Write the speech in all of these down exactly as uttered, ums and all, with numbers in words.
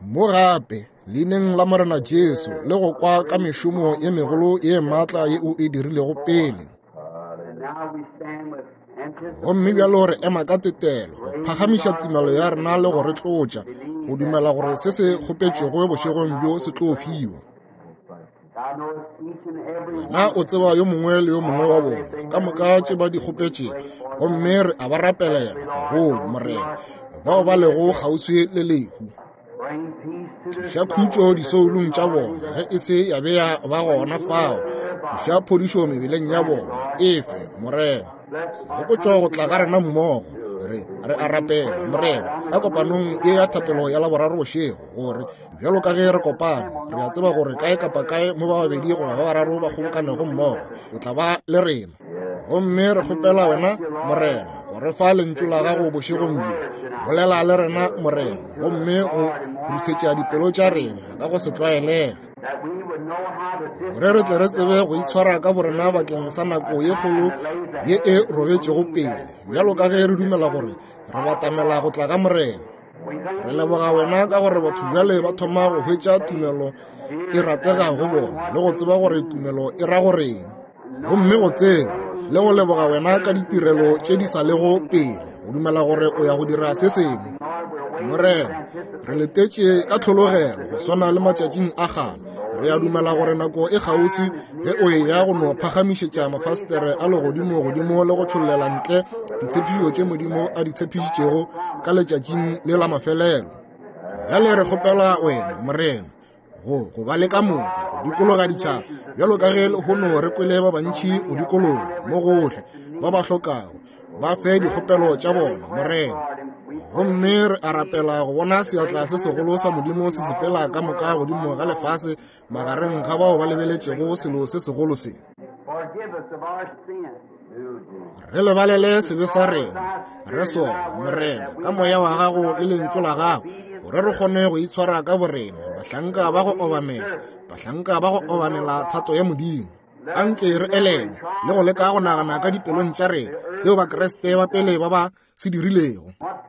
Mo gape, leineng la Morena Jesu, le go kwa ka mešomo ye megolo ye maatla ye o e dirilego pele. Gomme bjalo re ema ka tetelo, go phagamiša tumelo ya rena le go re tlotša, go dumela gore se se kgopetšwego bošegong bjo se tlo fiwa. Wena o tseba yo mongwe le yo mongwe wa bona, ka moka tše ba di kgopetšego, gomme re a ba rapelela, gagolo, Morena, bao ba lego kgauswi le lehu. Tliša khutšo disoulong tša bona, ge e se ya be ya ba gona fao. Tliša phodišo mebeleng ya bona, efe, Morena. Segopotšo go tla ga rena mmogo, re re a rapela, Morena, ka kopanong ye ya thapelo ya Laboraro bošego, gore bjalo ka ge re kopane, re a tseba gore kae kapa kae mo ba babedi goba ba bararo ba kgobokanego mmogo, o tla ba le rena. Gomme re kgopela wena, Morena, go re fa lentšu la gago bošegong bjo. Bolela le rena, Morena, gomme go ruthetša dipelo tša rena ka go se tlwaelege, gore re tle re tsebe go itshwara ka borena bakeng sa nako ye kgolo ye e robetšego pele, bjalo ka ge re dumela gore re batamela go tla ga Morena. Re leboga wena ka gore batho bjale ba thoma go hwetša tumelo e ratega go bona, le go tseba gore tumelo e ra goreng. Gomme go tseba le go leboga wena ka ditirelo tše di sa lego pele, go dumela gore o ya go dira se sengwe. Morena, re letetše ka tlhologelo go swana le matšatšing a kgale. Re a dumela gore nako e kgauswi ge o eya go no phagamišetša mafastere a legodimo godimo le go tšhollela ntle ditshepišo tše Modimo a di tshepišitšego ka letšatšing le la mafelelo. Bjale re kgopela wena, Morena, go go ba le ka moka go dikologa ditšhaba, bjalo ka ge lehono re kwele ba bantši go dikologa mo gohle ba ba hlokago, ba fe dikgopelo tša bona, Morena. Gomme re a rapela go bona seatla se segolo sa Modimo se sepela ka moka godimo ga lefase magareng ga bao ba lebeletšego selo se segolo se. Re lebalele sebe sa rena, re sole, Morena, ka moya wa gago le lentšu la gago, gore re kgone go itshwara ka borena, bahlanka ba go obamela, bahlanka ba go obamela thato ya Modimo. Anke re elelwe le go leka go nagana ka dipelong tša rena seo Bakriste ba pele ba ba se dirilego.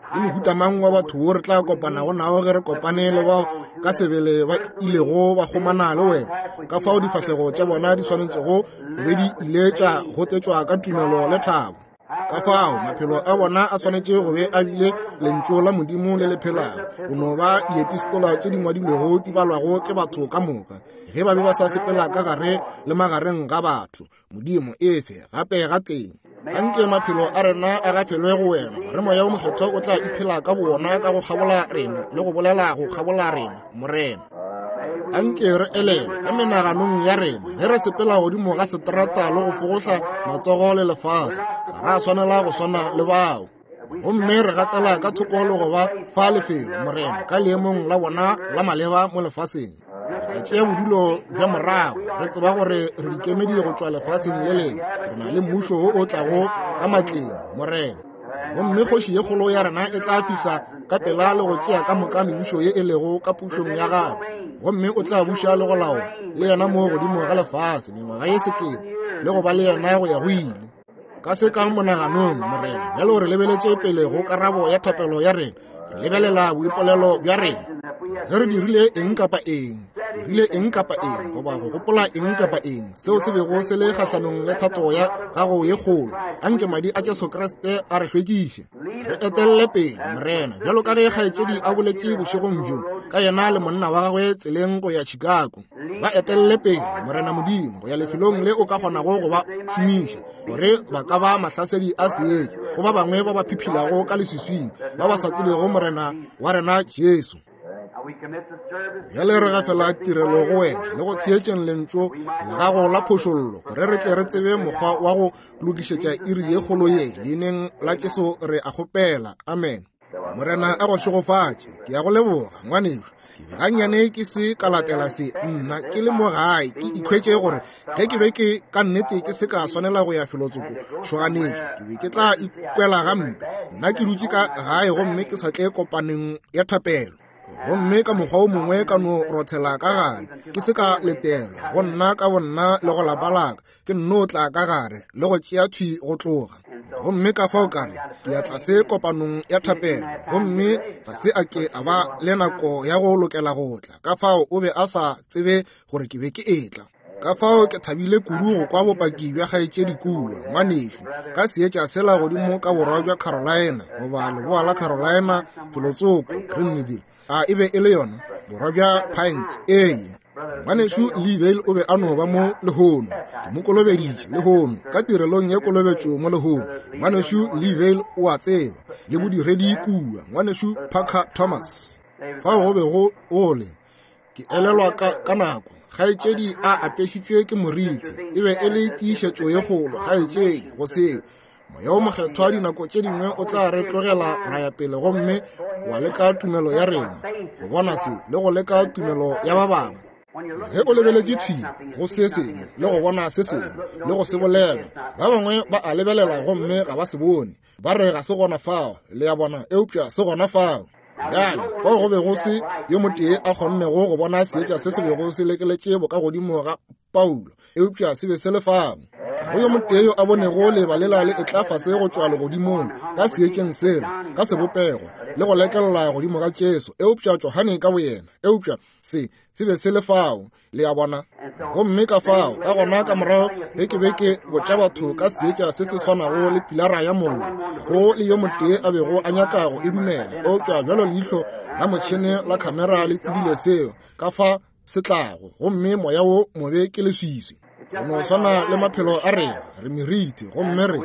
Ke mohuta mang wa batho wo re tla kopanago nao ge re kopane le bao ka sebele ba ilego ba kgomana le wena, ka fao difahlego tša bona di swanetšego go be di ile tša gotetšwa ka tumelo le thabo. Ka fao maphelo a bona a swanetše go be a bile lentšu la Modimo le le phelago, go no ba diepistola tše di ngwadilwego di balwago ke batho ka moka, ge ba be ba sa sepela ka gare le magareng ga batho. Modimo efe gape ga teng. Anke maphelo a rena a gafelwe go wena, gore moya o mokgethwa o tla iphela ka bowona ka go kgabola rena le go bolela go kgabola rena, Morena. Anke re elelwe ka menaganong ya rena ge re sepela godimo ga seterata le go fogohla matsogo le lefase, ga ra swanela go swana le bao. Gomme re gatela ka thoko le go ba fa lefelo, Morena, ka leemong la bona la maleba mo lefaseng. Re tla tšea bodulo bja morago, re tseba gore re dikemedi go tšwa lefaseng le lengwe. Re na le mmušo wo o tlago ka matleng, Morena. Gomme kgoši ye kgolo ya rena e tla fihla ka pela le go tšea ka moka mebušo ye e lego ka pušong ya gagwe, gomme o tla buša le go laola le yena mo godimo ga lefase mengwaga ye sekete, le go ba le yena go ya go ile. Ka se ka monaganong, Morena, bjalo re lebeletše pele go karabo ya thapelo ya rena, re lebelela boipolelo bja rena. Ge re dirile eng kapa eng, dirile eng kapa eng, goba go gopola eng kapa eng seo se bego se le kgahlanong le thato ya gago ye kgolo, anke madi a Jesu Kriste a re hlwekiše. Re etelle pele, Morena, bjalo ka ge kgaetšedi a boletše bošegong bjo ka yena le monna wa gagwe tseleng go ya Chicago. Ba etelle pele, Morena Modimo, go ya lefelong le o ka kgonago go ba šomiša, gore ba ka ba mahlasedi a seetša go ba bangwe ba ba phiphilago ka leswiswing, ba ba sa tsebego Morena wa rena Jesu. Bjale re gafela tirelo go wena le go theetšeng lentšu la gago la phošollo, gore re tle re tsebe mokgwa wa go lokišetša iri ye kgolo ye. Leineng la Jesu re a kgopela, amen. Morena a go šegofatše. Ke ya go leboga, ngwanešu. Gannyane ke se ka latela se, nna ke le mo gae ke ikhwetše gore ge ke be ke ka nnete ke se ka swanela go ya felotsoko tšhoganetšo, ke be ke tla ikwela gampe. Nna ke dutše ka gae gomme ke sa tle kopaneng ya thapelo. Gomme ka mokgwa o mongwe ka no rothela ka gare, ke se ka letelwa go nna ka bonna le go lapa laka, ke nno tla ka gare le go tšea thwi go tloga. Gomme ka fao ka re ke ya tlase kopanong ya thapelo, gomme ga se a ke a ba le nako ya go lokela go tla, ka fao o be a sa tsebe gore ke be ke etla. Ka fao ke thabile kudu go kwa bopaki bja kgaetšedi kua, ngwanešu, ka seetša sela godimo ka borwa bja Carolina, goba leboa la Carolina, felotsoko, Greenville. A e be e le yona, borwa bja Pines, ee. Ngwanešu Lee Vayle o be a no ba mo lehono, ke mo kolobeditše lehono, ka tirelong ya kolobetšo mo lehono. Ngwanešu Lee Vayle o a tseba, le bodiredi kua, ngwanešu Parker Thomas. Fao go be go ole, ke elelwa ka, ka nako, kgaetšedi a apešitšwe ke moriti, e be e le tiišetšo ye kgolo, kgaetšedi, go seo. Moya o Mokgethwa dinako tše dingwe o tla re tlogela ra ya pele gomme wa leka tumelo ya rena, go bona se le go leka tumelo ya ba bangwe. Ge o lebeletše thwi go se sengwe le go bona se sengwe le go se bolela, ba bangwe ba a lebelela gomme ga ba se bone, ba re ga se gona fao, le ya bona, eupša se gona fao. Bjale fao go be go se yo motee a kgonnego go bona seetša se se bego se lekeletše bokagodimo ga Paulo, eupša se be se le fao. Go yo motee yo a bonego leba lela le etla fase go tšwa legodimong ka seetšeng sela, ka sebopego, le go lekelela godimo ga Jesu, eupša Johane ka boyena, eupša se se be se le fao, le a bona. Gomme ka fao, ka gona ka morago ge ke be ke botša batho ka seetša se se swanago le pilara ya mollo, go le yo motee a bego a nyaka go e dumela, eupša bjalo leihlo la motšhene la khamera le tsebile seo, ka fa se tlago, gomme moya wo mobe ke leswiswi. Go no swana le maphelo a rena, re meriti, gomme re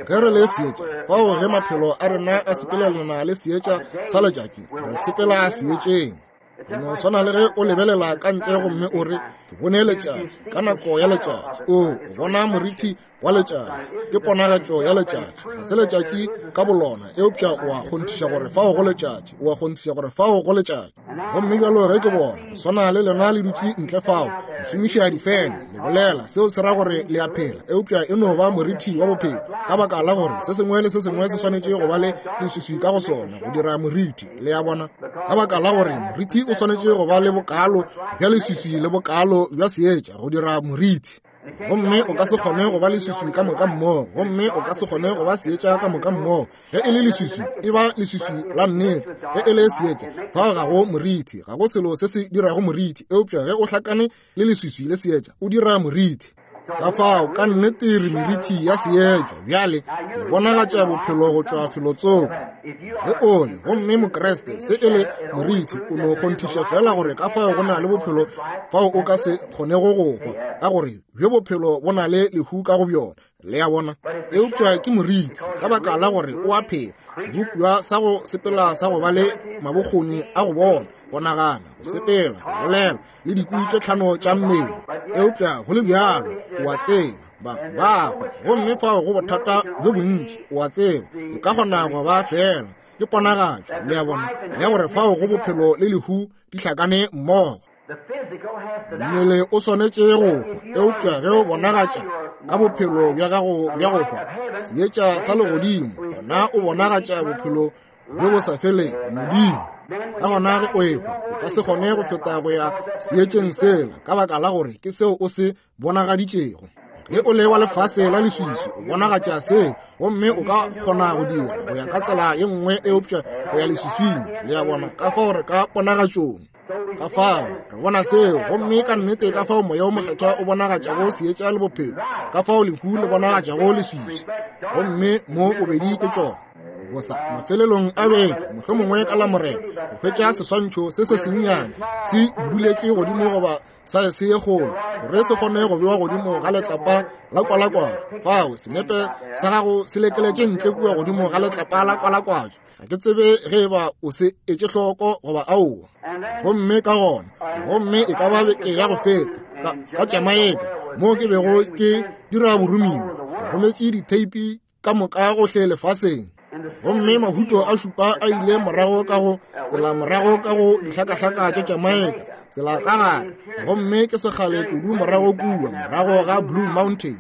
ge re le seetša, fao ge maphelo a rena a sepelelana le seetša sa letšatši, re sepela seetšeng. Go no swana le ge o lebelela ka ntle gomme o re, ke bone letšatši, ka nako ya letšatši, o bona moriti wa letšatši, ke ponagatšo ya letšatši, ga se letšatši ka bolona, eupša o a kgonthiša gore fao go letšatši, o a kgonthiša gore fao go letšatši. Gomme bjalo ge ke bona, swana le lena le dutše ntle fao, le šomiša difene, le bolela, seo se ra gore le a phela, eupša e no ba moriti wa bophelo, ka baka la gore se sengwe le se sengwe se swanetše go ba le leswiswi ka go sona go dira moriti, le a bona, ka baka la gore moriti o swanetše go ba le bokalo bja leswiswi le bokalo bja seetša go dira moriti. Gomme o ka se kgone go ba leswiswi ka moka mmogo, gomme o ka se kgone go ba seetša ka moka mmogo. Ge e le leswiswi, e ba leswiswi la nnete. Ge e le seetša, fao ga go moriti, ga go selo se se dirago moriti, eupša ge o hlakane le leswiswi le seetša, o dira moriti. Ka fao ka nnete re meriti ya seetša. Bjale le bonagatša bophelo go tšwa felotsoko. Ge o le gomme Mokreste se e le moriti, o no kgonthiša fela gore ka fao go na le bophelo fao o ka se kgonego go hwa, ka gore bjo bophelo bo na le lehu ka go bjona, le a bona. Eupša ke moriti ka baka la gore o a phela, sebopiwa sa go sepela sa go ba le mabokgoni a go bona, go nagana, go sepela, go bolela, le dikwi tše tlhano tša mmele. Eupša go le bjalo, o a tseba, ba ba hwa, gomme fao go bothata bjo bontši, o a tseba, o ka kgona go ba fela, ke ponagatšo, le a bona, ya gore fao go bophelo le lehu di hlakane mmogo. Mmele o swanetše go hwa, eupša ge o bonagatša ka bophelo bja gago bja go hwa seetša sa legodimo, gona o bonagatša bophelo bjo bo sa felego, Modimo. Ka gona ge o ehwa, o ka se kgone go feta go ya seetšeng sela, ka baka la gore ke seo o se bonagaditšego. Ge o le wa lefase la leswiswi, o bonagatša seo, gomme o ka kgona go dira go ya ka tsela ye nngwe, eupša go ya leswiswing, le a bona, ka fao re ka ponagatšong. Ka fao re bona seo, gomme ka nnete ka fao moya o mokgethwa o bonagatšago seetša le bophelo, ka fao lehu le bonagatšago leswiswi, gomme mo bobedi ke tšona. Bosa mafelelong a beke, mohlomongwe ka Lamorena, go hwetša seswantšho se se sennyane se buduletšwe godimo goba saese ye kgolo, gore se kgone go bewa godimo ga letlapa la kwalakwatšo. Fao senepe sa gago se lekeletše ntle kua godimo ga letlapa la kwalakwatšo. Ga ke tsebe ge eba o se etše hloko goba aowa. Gomme ka gona, gomme e ka ba beke ya go feta, ka, ka Jamaica, moo ke bego ke dira boromiwa, ke rometše ditheipi ka moka gohle lefaseng. Gomme mahuto a šupa a ile morago ka go tsela morago ka go dihlakahlaka tša Jamaica, tsela ka gare, gomme ke sekgale kudu morago kua, morago ga Blue Mountain.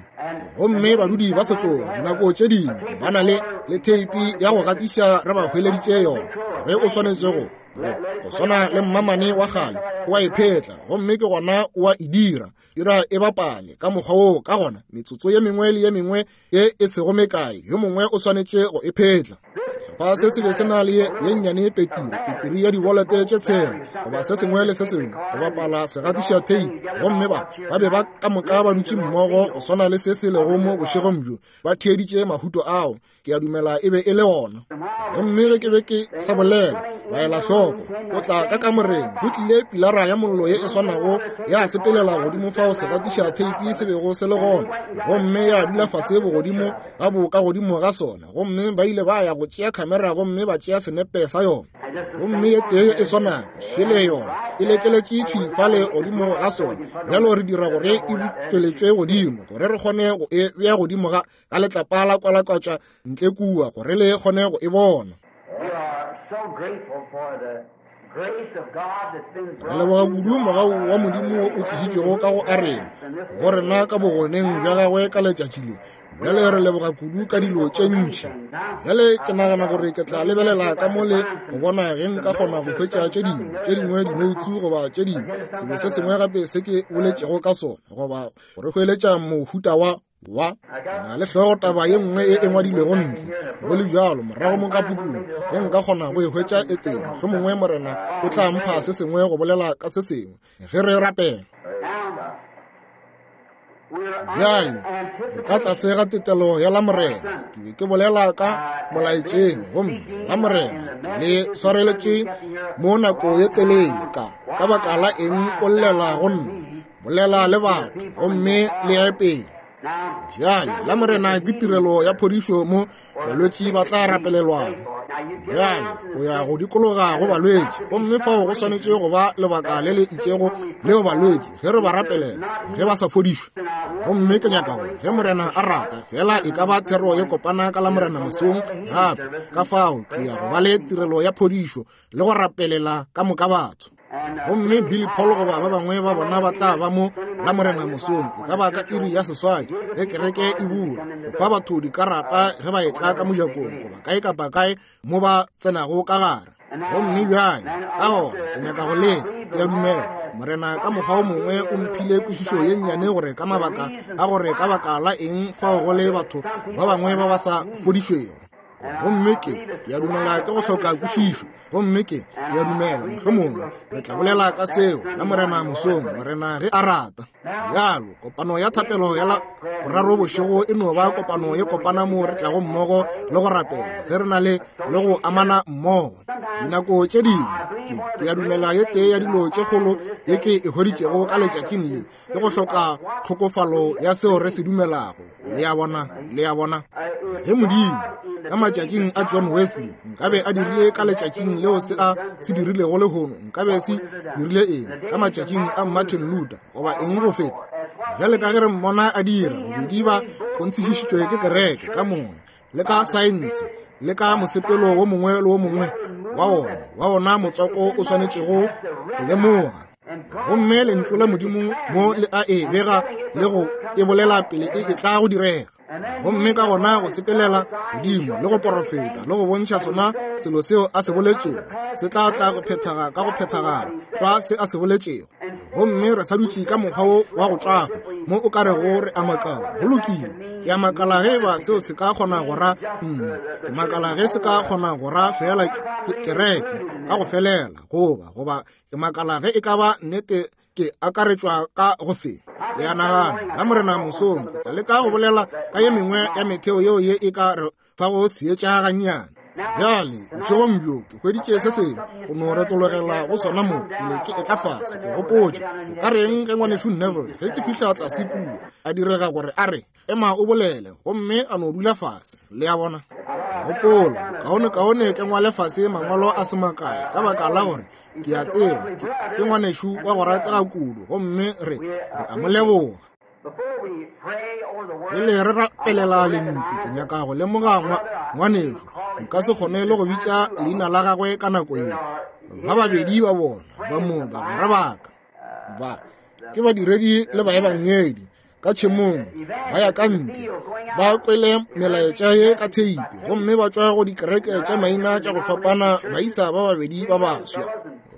Gomme badudi ba setlogo dinako tše dingwe ba na le le theipi ya go gatiša re ba hweleditše yona ge o swanetše go go swana le mmamane wa kgale o a e phetla gomme ke gona o a e dira dira e bapale ka mokgwa woo. Ka gona metsotso ye mengwe le ye mengwe ye e sego mekae yo mongwe o swanetše go e phetla. Sehlopha se se be se na le ye nnyane petiri petiri ya dibolete tše tshela goba se sengwe le se sengwe go bapala segatiša theipi, gomme ba ba be ba ka moka ba dutše mmogo go swana le se se lego mo bošegong bjo ba theeditše mahuto ao. Ke a dumela e be e le ona. Gomme ge ke be ke sa bolela ba ela hloko o tla ka kamoreng go tlile pilara ya mollo ye e swanago ya sepelela godimo fao segatiša theipi se bego se le gona, gomme ya dula fase bogodimo ga bo ka godimo ga sona. Gomme ba ile ba ya go tšea khamera gomme ba tšea senepe sa yona, gomme ye tee e swanago šele yona e lekeletše thwi fale godimo ga sona. Bjalo re dira gore e butšweletšwe godimo gore re kgone go e bea godimo ga ka letlapa la kwalakwatša ntle kua gore le kgone go e bona. Re leboga kudu mogau wa Modimo o tlišitšwego ka go arena go rena ka bogoneng bja gagwe ka letšatši le. Bjale re leboga kudu ka dilo tše ntši. Bjale ke nagana gore ke tla lebelela ka mo le go bona ge nka kgona go hwetša tše dingwe tše dingwe dinoutsu goba tše dingwe selo se sengwe gape se ke boletšego ka sona goba gore hweletša mohuta wa wa na le hlogo taba ye nngwe e e ngwadilwego ntle go le bjalo morago mo ka pukung ge nka kgona go e hwetša e teng. Mohlomongwe Morena o tla mpha se sengwe go bolela ka se sengwe ge re rapela. Bjale re ka tlase ga tetelo ya Lamorena. Ke be ke bolela ka molaetšeng gomme Lamorena le swareletše mo nako ye telele ka ka baka la eng o llela go nna bolela le batho gomme le ya pele. Bjale Lamorena ke tirelo ya phodišo mo balwetši ba tla rapelelwago. Bjale o ya go dikologa go balwetši gomme fao go swanetše go ba lebaka le le itšego leo balwetši ge re ba rapelela ge ba sa fodišwe. Gomme ke nyaka gore ge Morena a rata fela e ka ba thero ye kopana ka Lamorena mosong gape. Ka fao ke ya go ba le tirelo ya phodišo le go rapelela ka moka batho. Gomme Billy Paul goba ba bangwe ba bona ba tla ba mo Lamorena mosong e ka ba ka iri ya seswai ge kereke e bula go fa batho dikarata ge ba etla ka mojakong goba kae kapa kae mo ba tsenago ka gare. Gomme bjale ka gona ke nyaka go leka ke a dumela Morena ka mokgwa o mongwe o mphile kwešišo ye nnyane gore ka mabaka a gore ka baka la eng fao go le batho ba bangwe ba ba sa fodišwego. Gomme ke ke a dumela ke go hloka kwešišo. Gomme ke ke a dumela mohlomongwe re tla bolela ka seo Lamorena mosong Morena ge a rata. Bjalo kopano ya thapelo ya la boraro bošego e no ba kopano ye kopana mo re tlago mmogo le go rapela ge re na le le go amana mmogo. Dinako tše dingwe ke ke a dumela ye tee ya dilo tše kgolo ye ke e hweditšego ka letšatšing le ke go hloka tlhokofalo ya seo re se dumelago. Le a bona, le a bona. Ge Modimo ka matšatšing a John Wesley nkabe a dirile ka letšatšing leo se a se dirilego lehono nkabe se dirile eng ka matšatšing a Martin Luther goba eng go feta. Bjale ka ge re mmona a dira bobedi ba kgonthišišitšwe ke kereke ka mongwe le ka saense le ka mosepelo wo mongwe le wo mongwe wa ona wa ona motswako o swanetšego go lemoga. Gomme lentšu la Modimo mo le a e bega le go e bolela pele e e tla go direga. Gomme ka gona go sepelela godimo le go porofeta le go bontšha sona selo seo a se boletšego se tla tla go phethaga ka go phethagala tlwa se a se boletšego. Gomme re sa dutše ka mokgwa wo wa go tšwafa mo o ka rego re a makala. Go lokile, ke a makala ge ba seo se ka kgona go ra nna, ke makala ge se ka kgona go ra fela kereke ka go felela goba goba ke makala ge e ka ba nnete ke akaretšwa ka go se. Le a nagana Lamorena mosong ke tla leka go bolela ka ye mengwe ya metheo yeo ye e ka re fago seetša gannyane. Bjale bošegong bjo ke hweditše se sengwe go no retologela go sona mo pele ke etla fase. Ke gopotše o ka reng ge ngwanešu Neville ge ke fihla tlase kua a direga gore a re ema o bolele gomme a no dula fase. Le a bona, gopola kaone kaone ke ngwale fase mangwalo a se makae ka baka la gore ke a tseba ke ngwanešu wa go ratega kudu gomme re re a mo leboga. Pele re rapelela lentšu ke nyaka go lemoga ngwanešu nka se kgone le go bitša leina la gagwe ka nako ye. Ba babedi ba bona ba mo bagwera ba ka ba ke badiredi le baebangedi ka tšhemong, ba ya ka ntle, ba kwele melaetša ye ka theipi, gomme ba tšwa go dikereke tša maina tša go fapana, baisa ba babedi ba baswa.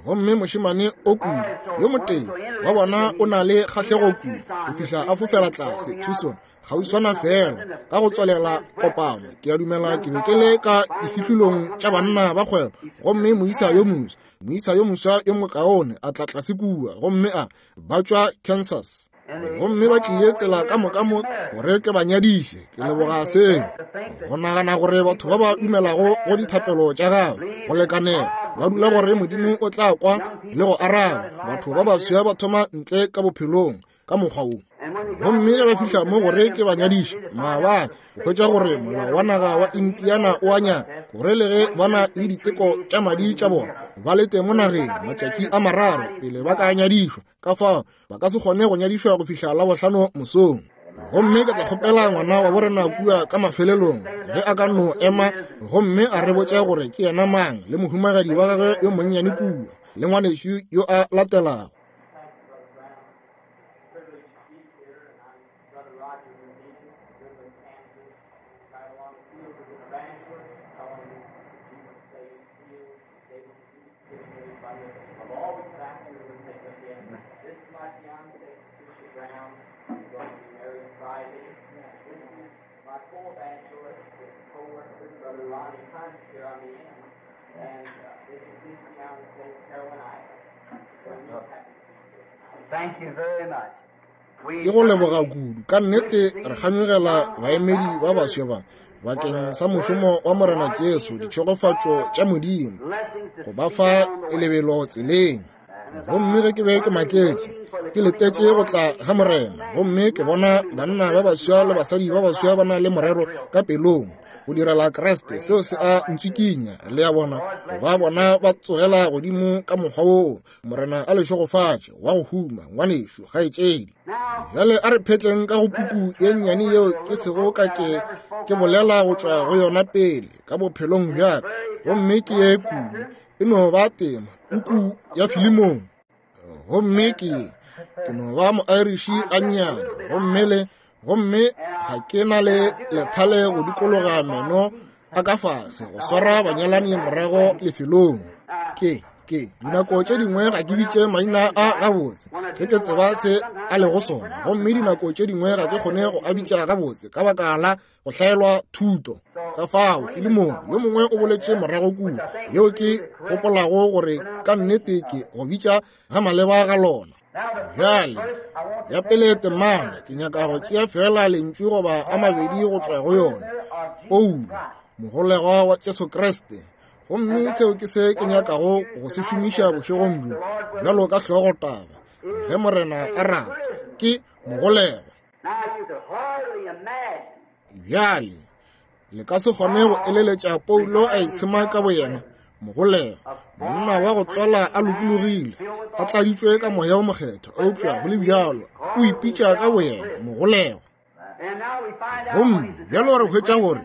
Gomme mošemane o kudu, yo motee wa bona o na le kgahlego kudu go fihla a fofela tlase Tucson kgauswana fela ka go tswalela kopano. Ke a dumela ke be ke le ka difihlolong tša banna ba kgwebo, gomme moisa yo moswa moisa yo moswa yo mokaone a tla tlase kua, gomme a ba tšwa Kansas, gomme ba tlile tsela ka moka mo gore ke ba nyadiše. Ke leboga seo, go nagana gore batho ba ba dumelago go dithapelo tša gago go lekanela ba dula gore Modimo o tla kwa le go araba. Batho ba baswa ba thoma ntle ka bophelong ka mokgwa wo, gomme ge ba fihla mo gore ke ba nyadiše maabane, go hwetša gore molao wa naga wa Indiana o a nyaka gore le ge ba na le diteko tša madi tša bona ba lete mo nageng matšatši a mararo pele ba ka nyadišwa. Ka fao ba ka se kgone go nyadišwa go fihla Labohlano mosong. Gomme ke tla kgopela ngwana wa borena kua ka mafelelong ge a ka no ema gomme a re botša gore ke yena mang le mohumagadi wa gagwe yo monnyane kua le ngwanešu yo a latelago. Ke go leboga kudu ka nnete. Re kganyogela baemedi ba baswa ba bakeng sa mošomo wa Morena Jesu, ditšhegofatšo tša Modimo go ba fa lebelo tseleng. Gomme ge ke be ke maketše, ke letetše go tla ga Morena, gomme ke bona banna ba baswa le basadi ba baswa ba na le morero ka pelong go direla Kriste. Seo se a ntswikinya, le a bona, go ba bona ba tsogela godimo ka mokgwa woo. Morena a le šegofatše wa go huma, ngwanešu, kgaetšedi. Bjale a re phetleng ka go puku ye nnyane yeo ke sego ka ke ke bolela go tšwa go yona pele ka bophelong bja ka, gomme ke ye kudu e no ba tema, puku ya Filemone. Gomme ke ke no ba mo-Irish gannyane, gomme le gomme ga ke na le lethale go dikologa meno a ka fase go swara banyalani morago lefelong. Ke ke dinako tše dingwe ga ke bitše maina a gabotse ge ke tseba se a lego sona, gomme dinako tše dingwe ga ke kgone go a bitša gabotse ka baka la go hlaelwa thuto. Ka fao Filemone yo mongwe o boletše morago kua, yeo ke gopolago gore ka nnete ke go bitša ga maleba ga lona. Bjale ya pele temana ke nyaka go tšea fela lentšu goba a mabedi go tšwa go yona, Paulo mogolegwa wa Jesu Kriste. Gomme seo ke se ke nyakago go se šomiša bošegong bjo bjalo ka hlogotaba, ge Morena a rata, ke mogolegwa. Bjale le ka se kgone go eleletša Paulo a itshema ka boyena mogolegwa, monna wa go tswala a lokologile, a tladitšwe ka moya o mokgethwa, eupša go le bjalo o ipitša ka boyena mogolegwa. Gomme bjalo re hwetša gore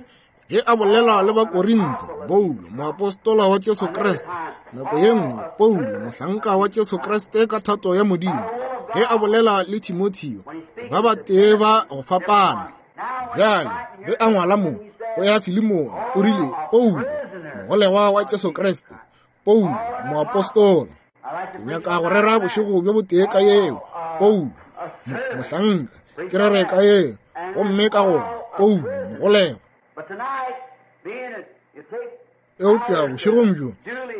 ge a bolela le Bakorinthe, Paulo moapostola wa Jesu Kriste, nako ye nngwe Paulo mohlanka wa Jesu Kriste ka thato ya Modimo, ge a bolela le Timotheo, ba batee ba go fapana. Bjale ge a ngwala mo go ya Filemone, o rile Paulo mogolegwa wa Jesu Kriste, Paulo moapostola. Ke nyaka go rera bošego bjo botee ka yeo, Paulo mohlanka, ke rere ka yeo, gomme ka gona Paulo mogolegwa. Eupša bošegong bjo,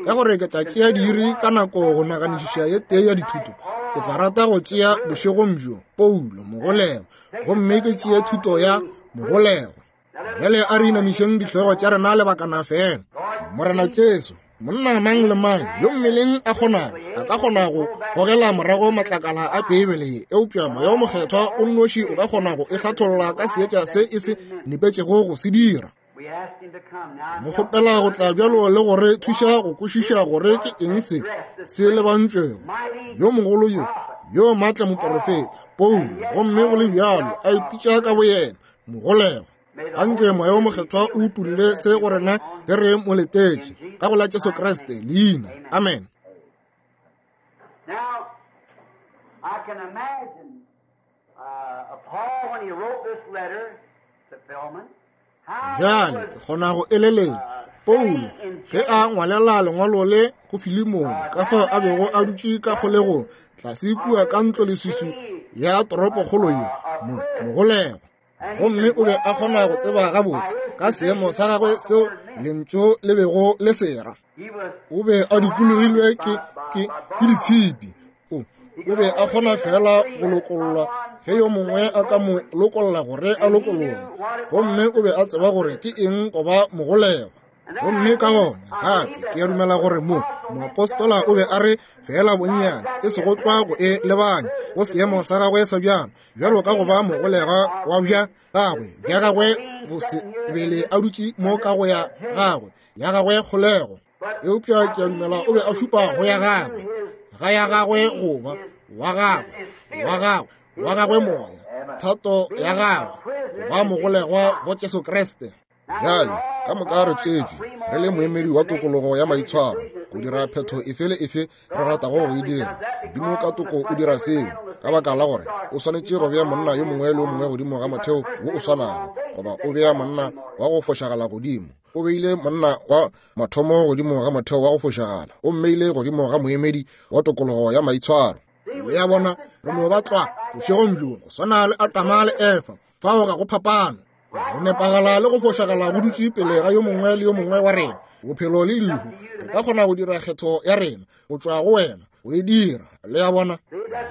ka gore ke tla tšea diiri ka nako go naganišiša ye tee ya dithuto, ke tla rata go tšea bošegong bjo Paulo mogolegwa, gomme ke tšee thuto ya mogolegwa. Bjale a re inamišeng dihlogo tša rena lebakana fela. Morena Jesu, monna mang le mang yo mmeleng a kgonago a ka kgona go gogela morago matlakala a Beibele ye, eupša Moya o Mokgethwa o nnoši o ka kgona go e hlatholla ka seetša se e se nepetšego go se dira. Mo kgopela go tla bjalo le gore thuša go kwešiša gore ke eng se se lebantšwego. Yo mogolo yo, yo maatla moporofeta Paulo, gomme go le bjalo a ipitša ka boyena mogolegwa. Anke Moya o Mokgethwa o utolle se go rena ge re mo letetše, ka go la Jesu Kriste leina. Amen. Bjale ke kgona go eleletša Paulo ge a ngwalela lengwalo le go Filemone, ka fao a bego a dutše ka kgolegong tlase kua ka ntloleswiswi ya toropokgolo ye, mo mogolegwa. Gomme o be a kgona go tseba gabotse ka seemo sa gagwe seo lentšu le bego le sera. O be a dikologilwe ke, ke, ke ditshipi. O, o be a kgona fela go lokollwa ge yo mongwe a ka mo lokolla gore a lokologe. Gomme o be a tseba gore ke eng go ba mogolegwa. Gomme ka gona gape ke a dumela gore mo moapostola o be a re fela bonnyane e sego tlwa go e lebanya go seemo sa gagwe sa bjalo, bjalo ka go ba mogolegwa wa bja gagwe bja gagwe bo se bele a dutše mo ka go ya gagwe ya gagwe kgolego. Eupša ke a dumela o be a šupa go ya gagwe ga ya gagwe goba wa gagwe wa gagwe wa gagwe moya, thato ya gagwe go ba mogolegwa go Jesu Kriste. Bjale ka moka re tswetšwe re le moemedi wa tokologo ya maitshwaro go dira phetho efe le efe re ratago go e dira. Modimo ka toko o dira seo ka baka la gore o swanetše go bea monna yo mongwe le yo mongwe godimo ga motheo wo o swanago, goba o bea monna wa go fošagala godimo. O beile monna wa mathomo godimo ga motheo wa go fošagala, o mmeile godimo ga moemedi wa tokologo ya maitshwaro. Le a bona, re no ba tlwa bošegong bjo go swana le Adama le Efa, fao ga go phapano. Go nepagala le go fošagala go dutše pele ga yo mongwe le yo mongwe wa rena, bophelo le lehu. Re ka kgona go dira kgetho ya rena go tšwa go wena go e dira. Le a bona,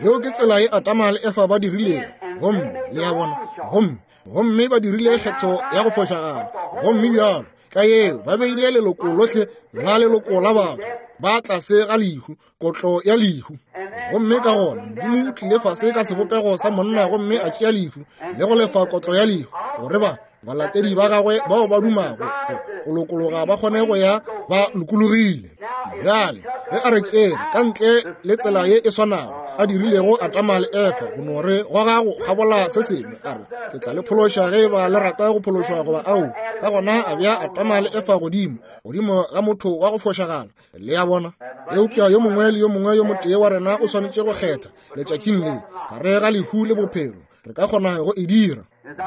yeo ke tsela ye Adama le Efa ba dirilego. Gomme le a bona, gomme gomme ba dirile kgetho ya go fošagala, gomme bjalo ka yeo ba beile leloko lohle la leloko la batho ba tlase ga lehu, kotlo ya lehu. Gomme ka gona Modimo o tlile fase ka sebopego sa monna gomme a tšea lehu le go lefa kotlo ya lehu, gore ba balatedi ba gagwe bao ba dumago go lokologa ba kgone go ya ba lokologile. Bjale ge a re tšere ka ntle le tsela ye e swanago a dirilego Adama le Efa, go no re goga go kgabola se sengwe, a re ke tla le phološa ge ba le rata go phološwa goba ao. Ka gona a bea Adama le Efa godimo godimo ga motho wa go fošagala. Le a bona, eupša yo mongwe le yo mongwe yo motee wa rena o swanetše go kgetha letšatšing le gare ga lehu le bophelo. Re ka kgona go e dira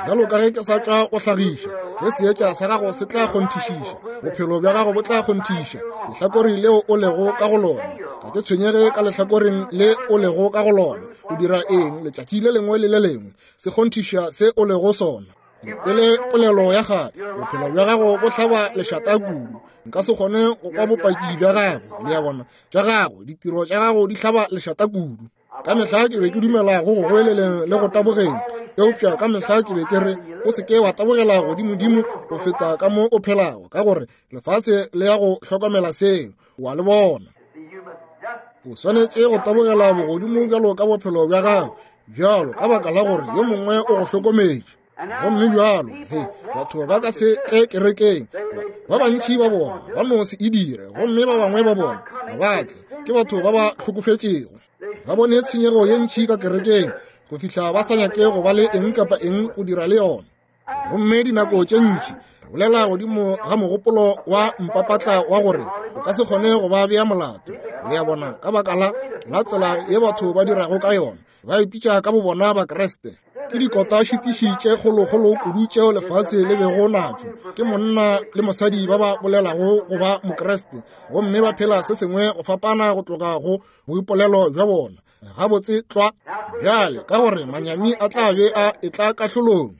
bjalo ka ge ke sa tšwa go hlagiša, ge seetša sa gago se tla kgonthišiša, bophelo bja gago bo tla kgonthiša lehlakore leo o lego ka go lona. Ga ke tshwenyege ka lehlakoreng le o lego ka go lona, o dira eng letšatši le lengwe le le lengwe, se kgonthiša se o lego sona. Pele polelo ya gagwe, bophelo bja gago bo hlaba lešata kudu, nka se kgone go kwa bopaki bja gago. Le a bona, tša gago ditiro tša gago di hlaba lešata kudu. Ka mehla ke be ke dumela go go goeleleng le go tabogeng, eupša ka mehla ke be ke re o se ke wa tabogela godimodimo go feta ka mo o phelago, ka gore lefase le ya go hlokomela seo, wa le bona. O swanetše go tabogela bogodimo bjalo ka bophelo bja gago bjalo ka baka la gore yo mongwe o go hlokometše. Gomme bjalo he batho ba ka se tle kerekeng, ba bantši ba bona ba no se e dire, gomme ba bangwe ba bona ga ba tle, ke batho ba ba hlokofetšego. Ba bone tshenyego ye ntši ka kerekeng go fihla ba sa nyake go ba le eng kapa eng go dira le yona. Gomme dinako tše ntši re bolela godimo ga mogopolo wa mpapatla wa gore o ka se kgone go ba bea molato. Le a bona, ka baka la la tsela ye batho ba dirago ka yona, ba ipitša ka bobona Bakriste. Ke dikota šitiši tše kgolokgolo kudu tšeo lefase le bego natšo, ke monna le mosadi ba ba bolelago go ba Mokriste gomme ba phela se sengwe go fapana go tloga go boipolelo bja bona. Gabotse tlwa bjale, ka gore manyami a tla be a etla kahlolong.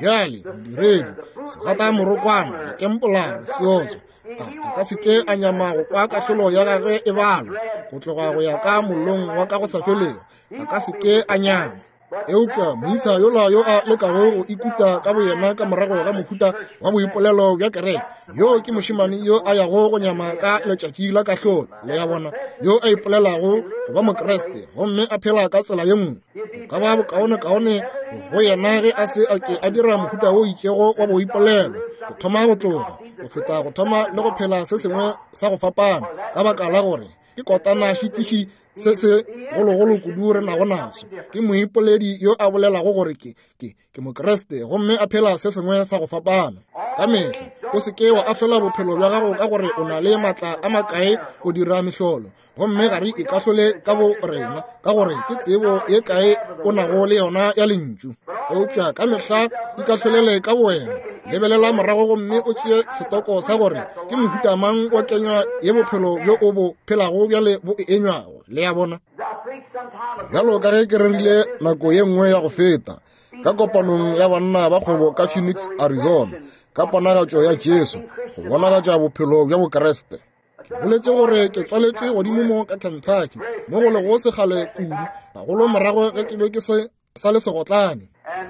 Bjale modiredi segata morokwana lekempolara seoso a a ka se ke a nyama go kwa kahlolo ya gagwe e balwa go tloga go ya ka mollong wa ka go sa felego, a ka se ke a nyama. Eupša moisa yola yo a lekago go ikuta ka boyena ka morago ga mohuta wa boipolelo bja kereke, yo ke mošemane yo a yago go nyama ka letšatši la kahlolo. Le a bona, yo a ipolelago go ba Mokriste gomme a phela ka tsela ye nngwe, go ka ba bokaonekaone go yena ge a se a ke a dira mohuta wo itšego wa boipolelo go thoma go tloga, go feta go thoma le go phela se sengwe sa go fapana, ka baka la gore Ke kotana šitiši se se gologolo kudu re nago naso. Ke moipoledi yo a bolelago gore ke ke ke Mokriste gomme a phela se sengwe sa go fapana. Ka mehla o se ke wa ahlola bophelo bja gago ka gore o na le matla a makae go dira mehlolo, gomme ga re ikahlole ka bo rena ka gore ke tsebo ye kae o nago le yona ya lentšu. Eupša ka mehla ikahlolele ka bowena, lebelela morago gomme o tšee setoko sa gore ke mohuta mang wa kenywa ye bophelo bjo o bo phelago bjale bo e enywago. Le a bona? Bjalo ka ge ke rerile nako ye nngwe ya go feta ka kopanong ya banna ba kgwebo ka Phoenix, Arizona, ka ponagatšo ya Jesu go bonagatša bophelo bja Bokriste. Ke boletše gore ke tswaletšwe godimo mo ka Kentucky, mo go lego sekgale kudu, gagolo morago ge ke be ke se sa le segotlane.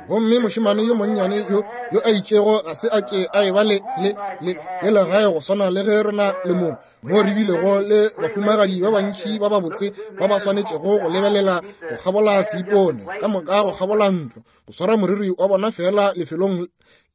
Gomme mošemane yo monnyane yo yo a itšego ga se a ke a eba le le le le legae go swana le ge re na le mo mo re bilego le bahumagadi ba bantši ba babotse ba ba swanetšego go lebelela go kgabola seipone ka moka go kgabola ntlo go swara moriri wa bona fela lefelong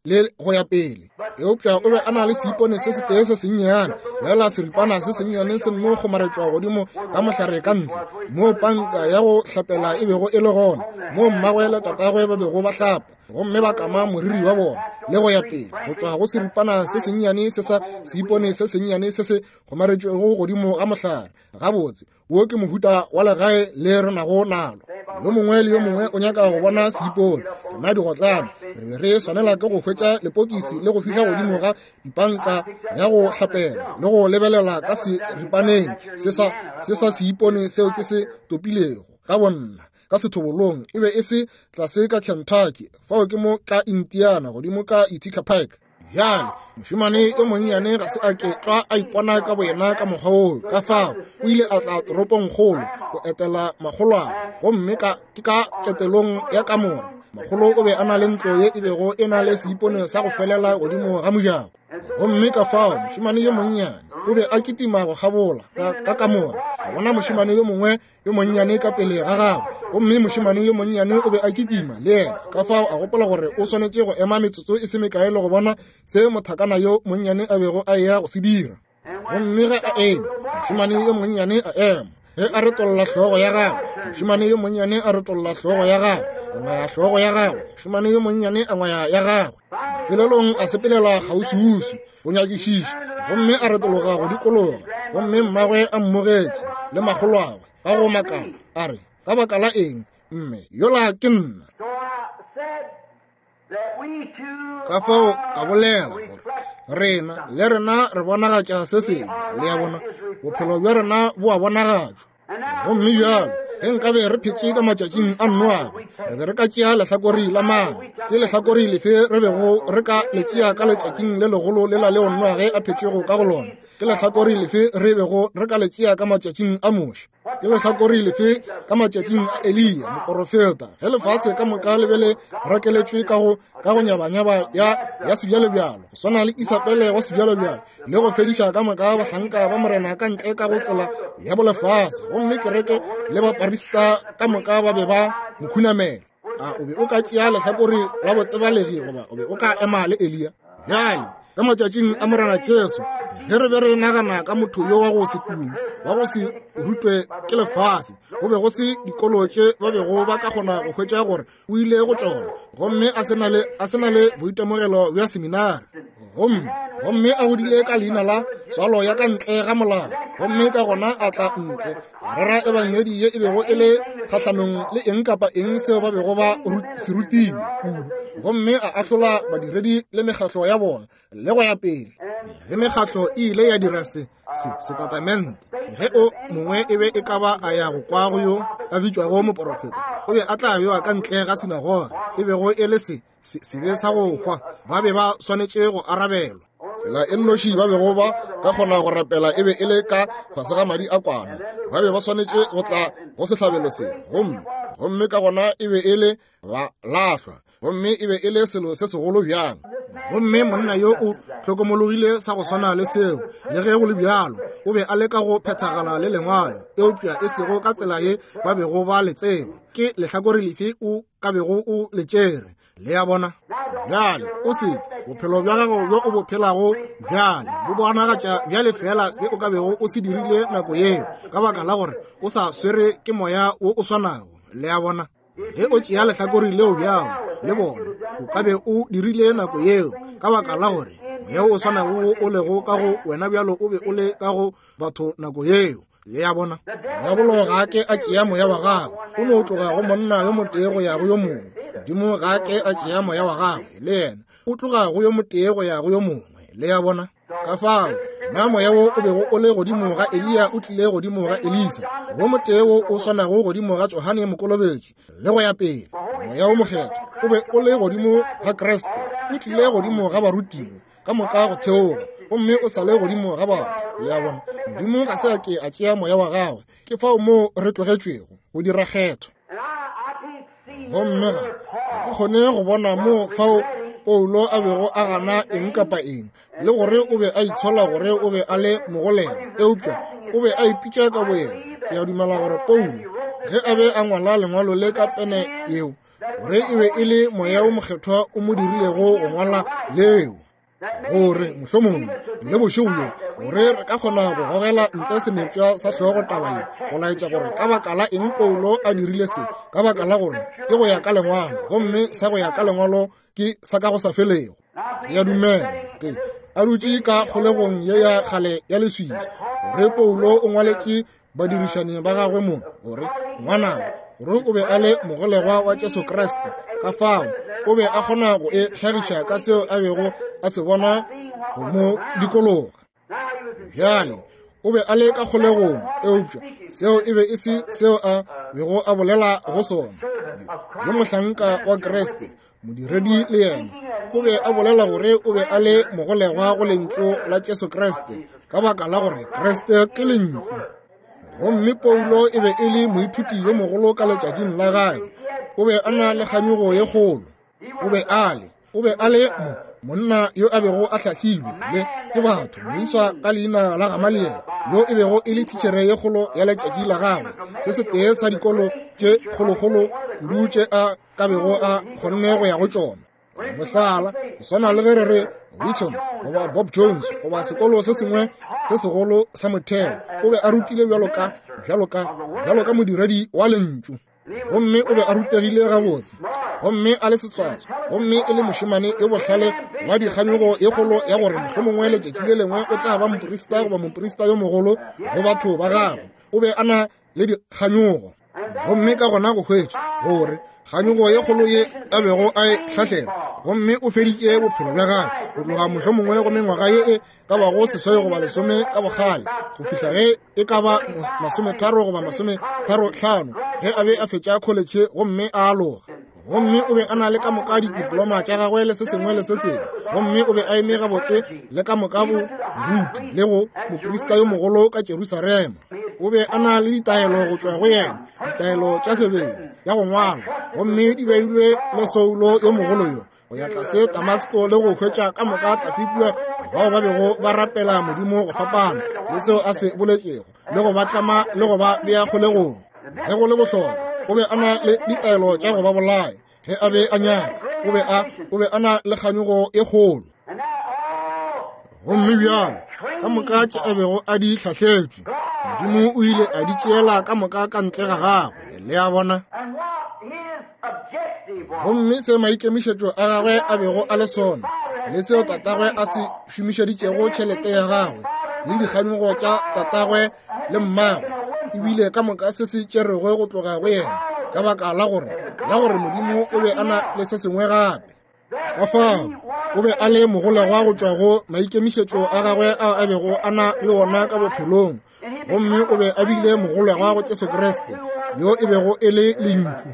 le go ya pele. Eupša o be a na le seipone se setee se sennyane, fela seripana se sennyane se nno kgomaretšwa godimo ga mohlare ka ntle, moo panka ya go hlapela e bego e le gona, moo mmagwe le tatagwe ba bego ba hlapa gomme ba kama moriri wa bona le go ya pele, go tšwa go seripana se sennyane se sa seipone se sennyane se se kgomaretšwego godimo ga mohlare. Gabotse, wo ke mohuta wa legae le re nago nalo. Yo mongwe le yo mongwe o nyaka go bona seipone. Rena digotlane re be re swanela ke go hwetša lepokisi le go fihla godimo ga dipanka ya go hlapela le go lebelela ka seripaneng se sa se sa seipone seo ke se topilego ka bonna ka sethobolong. E be e se tlase ka Kentucky, fao ke mo ka Indiana godimo ka Ithaca Pike. Bjale mošemane yo monnyane ga se a ke tlwa a ipona ka boyena ka mokgwa oo, ka fao o ile a tla toropongkgolo go etela makgolwane, gomme ka ke ka ketelong ya kamora. Makgolo o be a na le ntlo ye e bego e na le seipone sa go felela godimo ga mojako, gomme ka fao mošemane yo monnyane o be a kitima go kgabola ka, ka kamora, a bona mošemane yo mongwe yo monnyane ka pele ga gagwe, gomme mošemane yo monnyane o be a kitima le yena. Ka fao a gopola gore o swanetše go ema metsotso e se mekae le go bona se mothakana yo monnyane a bego a eya go se dira. Gomme ge a eme, mošemane yo monnyane a ema. Ge a retolla hlogo ya gagwe, mošemane yo monnyane a retolla hlogo ya gagwe, a ngwaya hlogo ya gagwe, mošemane yo monnyane a ngwaya ya gagwe. Pelelong a sepelela kgauswiuswi go nyakišiša, gomme a retologa go dikologa, gomme mmagwe a mmogetše le makgolwagwe ka go makala, a re, ka baka la eng, mme yola ke nna. Ka fao ka bolela gore rena le rena re bonagatša se sengwe. Le a bona, bophelo bja rena bo a bonagatšwa. Gomme bjalo ge nkabe re phetše ka matšatšing a Noage, re be re ka tšea lehlakore la mang? Ke lehlakore lefe re bego re ka le tšea ka letšatšing le legolo lela leo Noage a phetšego ka go lona? Ke lehlakore lefe re bego re ka le tšea ka matšatšing a Moshe? Ke lehlakore lefe ka matšatšing a Eliya moporofeta, ge lefase ka moka le be le rakeletšwe ka go ka go nyabanyaba ya ya sebjalebjalo, go swana le Isabele wa sebjalebjalo, le go fediša ka moka bahlanka ba morena ka ntle ka go tsela ya bolefase, gomme kereke le baparista ka moka ba be ba mo khunamela? A o be o ka tšea lehlakore la botsebalegi goba o be o ka ema le Eliya? Bjale ka matšatšing a Morena Jesu, ge re be re nagana ka motho yo wa go se tume, wa go se rutwe ke lefase, go be go se dikolo tše ba bego ba ka kgona go hwetša gore o ile go tšona, gomme a se na le a se na le boitemogelo bja seminari, gomme gomme a godile ka leina la tswalo ya ka ntle ga molao, gomme ka gona a tla ntle a rera ebangedi ye e bego e le kgahlanong le eng kapa eng seo ba bego ba se rutilwe kudu, gomme a ahlola badiredi le mekgatlo ya bona le go ya pele. Ge mekgatlo e ile ya dira se se setatamente, ge o mongwe e be e ka ba a ya go kwa go yo a bitšwago moporofeta, o be a tla bewa ka ntle ga sinagoge, e bego e le se sebe sa go hwa, ba be ba swanetše go arabelwa. Tsela e nnoši ba bego ba ka kgona go rapela e be e le ka fase ga madi a kwana. Ba be ba swanetše go tla go sehlabelo se, gomme gomme ka gona e be e le ba lahlwa, gomme e be e le selo se segolo bjang. Gomme monna yo o hlokomologile sa go swana le seo, le ge go le bjalo o be a leka go phethagala le lengwalo, eupša e sego ka tsela ye ba bego ba le tseba. Ke lehlakore lefe o ka bego o le tšere? Le a bona? Bjale, o se bophelo bja gago bjo o bo phelago bjale bo bonagatša bjale fela se o ka bego o se dirile nako yeo, ka baka la gore o sa swere ke moya wo o swanago. Le a bona? Ge o tšea lehlakore leo bjalo le bona, o ka be o dirile nako yeo, ka baka la gore moya o swanago wo o lego ka go wena bjalo o be o le ka go batho nako yeo. Le a bona? Diabolo ga a ke a tšea moya wa gagwe, o no tloga go monna yo motee go ya go yo mongwe. Modimo ga a ke a tšea moya wa gagwe, le yena o tloga go yo motee go ya go yo mongwe. Le a bona? Ka fao na moya wo o bego o le godimo ga Eliya o tlile godimo ga Elisa, wo motee wo o swanago godimo ga Johane Mokolobetši, le go ya pele. Moya wo Mokgethwa o be o le godimo ga Kriste, o tlile godimo ga barutiwa ka moka go theoga, gomme o sa le godimo ga batho. Le a bona? Modimo ga se a ke a tšea moya wa gagwe. Ke fao moo re tlogetšwego go dira kgetho. Gomme ga ke kgone go bona mo fao Paulo a bego a gana eng kapa eng, le gore o be a itshola gore o be a le mogolegwa, eupša o be a ipitša ka boyena. Ke a dumela gore Paulo, ge a be a ngwala lengwalo le ka pene yeo, gore e be e le moya o mokgethwa o mo dirilego go ngwala leo, gore mohlomongwe le bošego bjo gore re ka kgona go gogela ntle senepša sa hlogo taba ye, go laetša gore ka baka la eng Paulo a dirile se, ka baka la gore ke go ya ka lengwalo, gomme sa go ya ka lengwalo ke sa ka go sa felego. Ke a dumela ke a dutše ka kgolegong ye ya kgale ya leswiswi, gore Paulo o ngwaletše badirišani ba gagwe mo gore ngwanabo, gore o be a le mogolegwa wa Jesu Kriste. Ka fao o be a kgona go e hlagiša ka seo a bego a se bona go mo dikologa. Bjale o be a le ka kgolegong, eupša seo e be e se seo a bego a bolela go sona. Yo mohlanka wa Kriste, modiredi le yena, o be a bolela gore o be a le mogolegwa go lentšu la Jesu Kriste, ka baka la gore Kriste ke lentšu. Gomme Paulo e be e le moithuti yo mogolo ka letšatšing la gagwe. O be a na le kganyogo ye kgolo. O be a le, o be a le mo monna yo a bego a hlahlilwe le ke batho, moiswa ka leina la Gamaliel, yo e bego e le thitšhere ye kgolo ya letšatši la gagwe, se setee sa dikolo tše kgolokgolo kudu tše a ka bego a kgonne go ya go tšona. Mohlala, go swana le ge re re Wheaton goba Bob Jones goba sekolo se sengwe se segolo sa motheo, o be a rutile bjalo ka bjalo ka bjalo ka modiredi wa lentšu, gomme o be a rutegile gabotse, gomme a le setswatswa, gomme e le mošemane yo bohlale wa dikganyogo ye kgolo ya gore mohlomongwe letšatši le lengwe o tla ba moprista goba moprista yo mogolo go batho ba gagwe. O be a na le dikganyogo, gomme ka gona go hwetša gore kganyogo ye kgolo ye a bego a e hlahlela, gomme o feditše bophelo bja gagwe go tloga mohlomongwe go mengwaga ye e ka bago seswai goba lesome ka bokgale go fihla ge e ka ba masometharo goba masometharo hlano ge a be a fetša kholetšhe gomme a aloga. Gomme o be a na le ka moka didiploma tša gagwe le se sengwe le se sengwe, gomme o be a eme gabotse le ka moka bo boruti le go moprista yo mogolo ka Jerusalema. O be a na le ditaelo go tšwa go yena, ditaelo tša sebele ya go ngwala, gomme di beilwe le Saulo yo mogolo yo go ya tlase Damasko le go hwetša ka moka tlase kua bao ba bego ba rapela Modimo go fapana le seo a se boletšego, le go ba tlama le go ba bea kgolegong. Ge go le bohlokwa, o be a na le ditaelo tša go ba bolaya ge a be a nyaka. O be a o be a na le kganyogo e kgolo. Gomme bjalo ka moka tše a bego a di hlahletšwe, Modimo o ile a di tšeela ka moka ka ntle ga gagwe. Le a bona? Gomme se maikemišetšo a gagwe a bego a le sona, le seo tatagwe a se šomišeditšego tšhelete ya gagwe, le dikganyogo tša tatagwe le mmagwe, ebile ka moka se se tšerego go tloga go yena, ka baka la gore la gore Modimo o be a na le se sengwe gape. Ka fao o be a le mogolegwa go tšwa go maikemišetšo a gagwe ao a bego a na le ona ka bophelong, gomme o be a bile mogolegwa go Jesu Kriste yo e bego e le lentšu.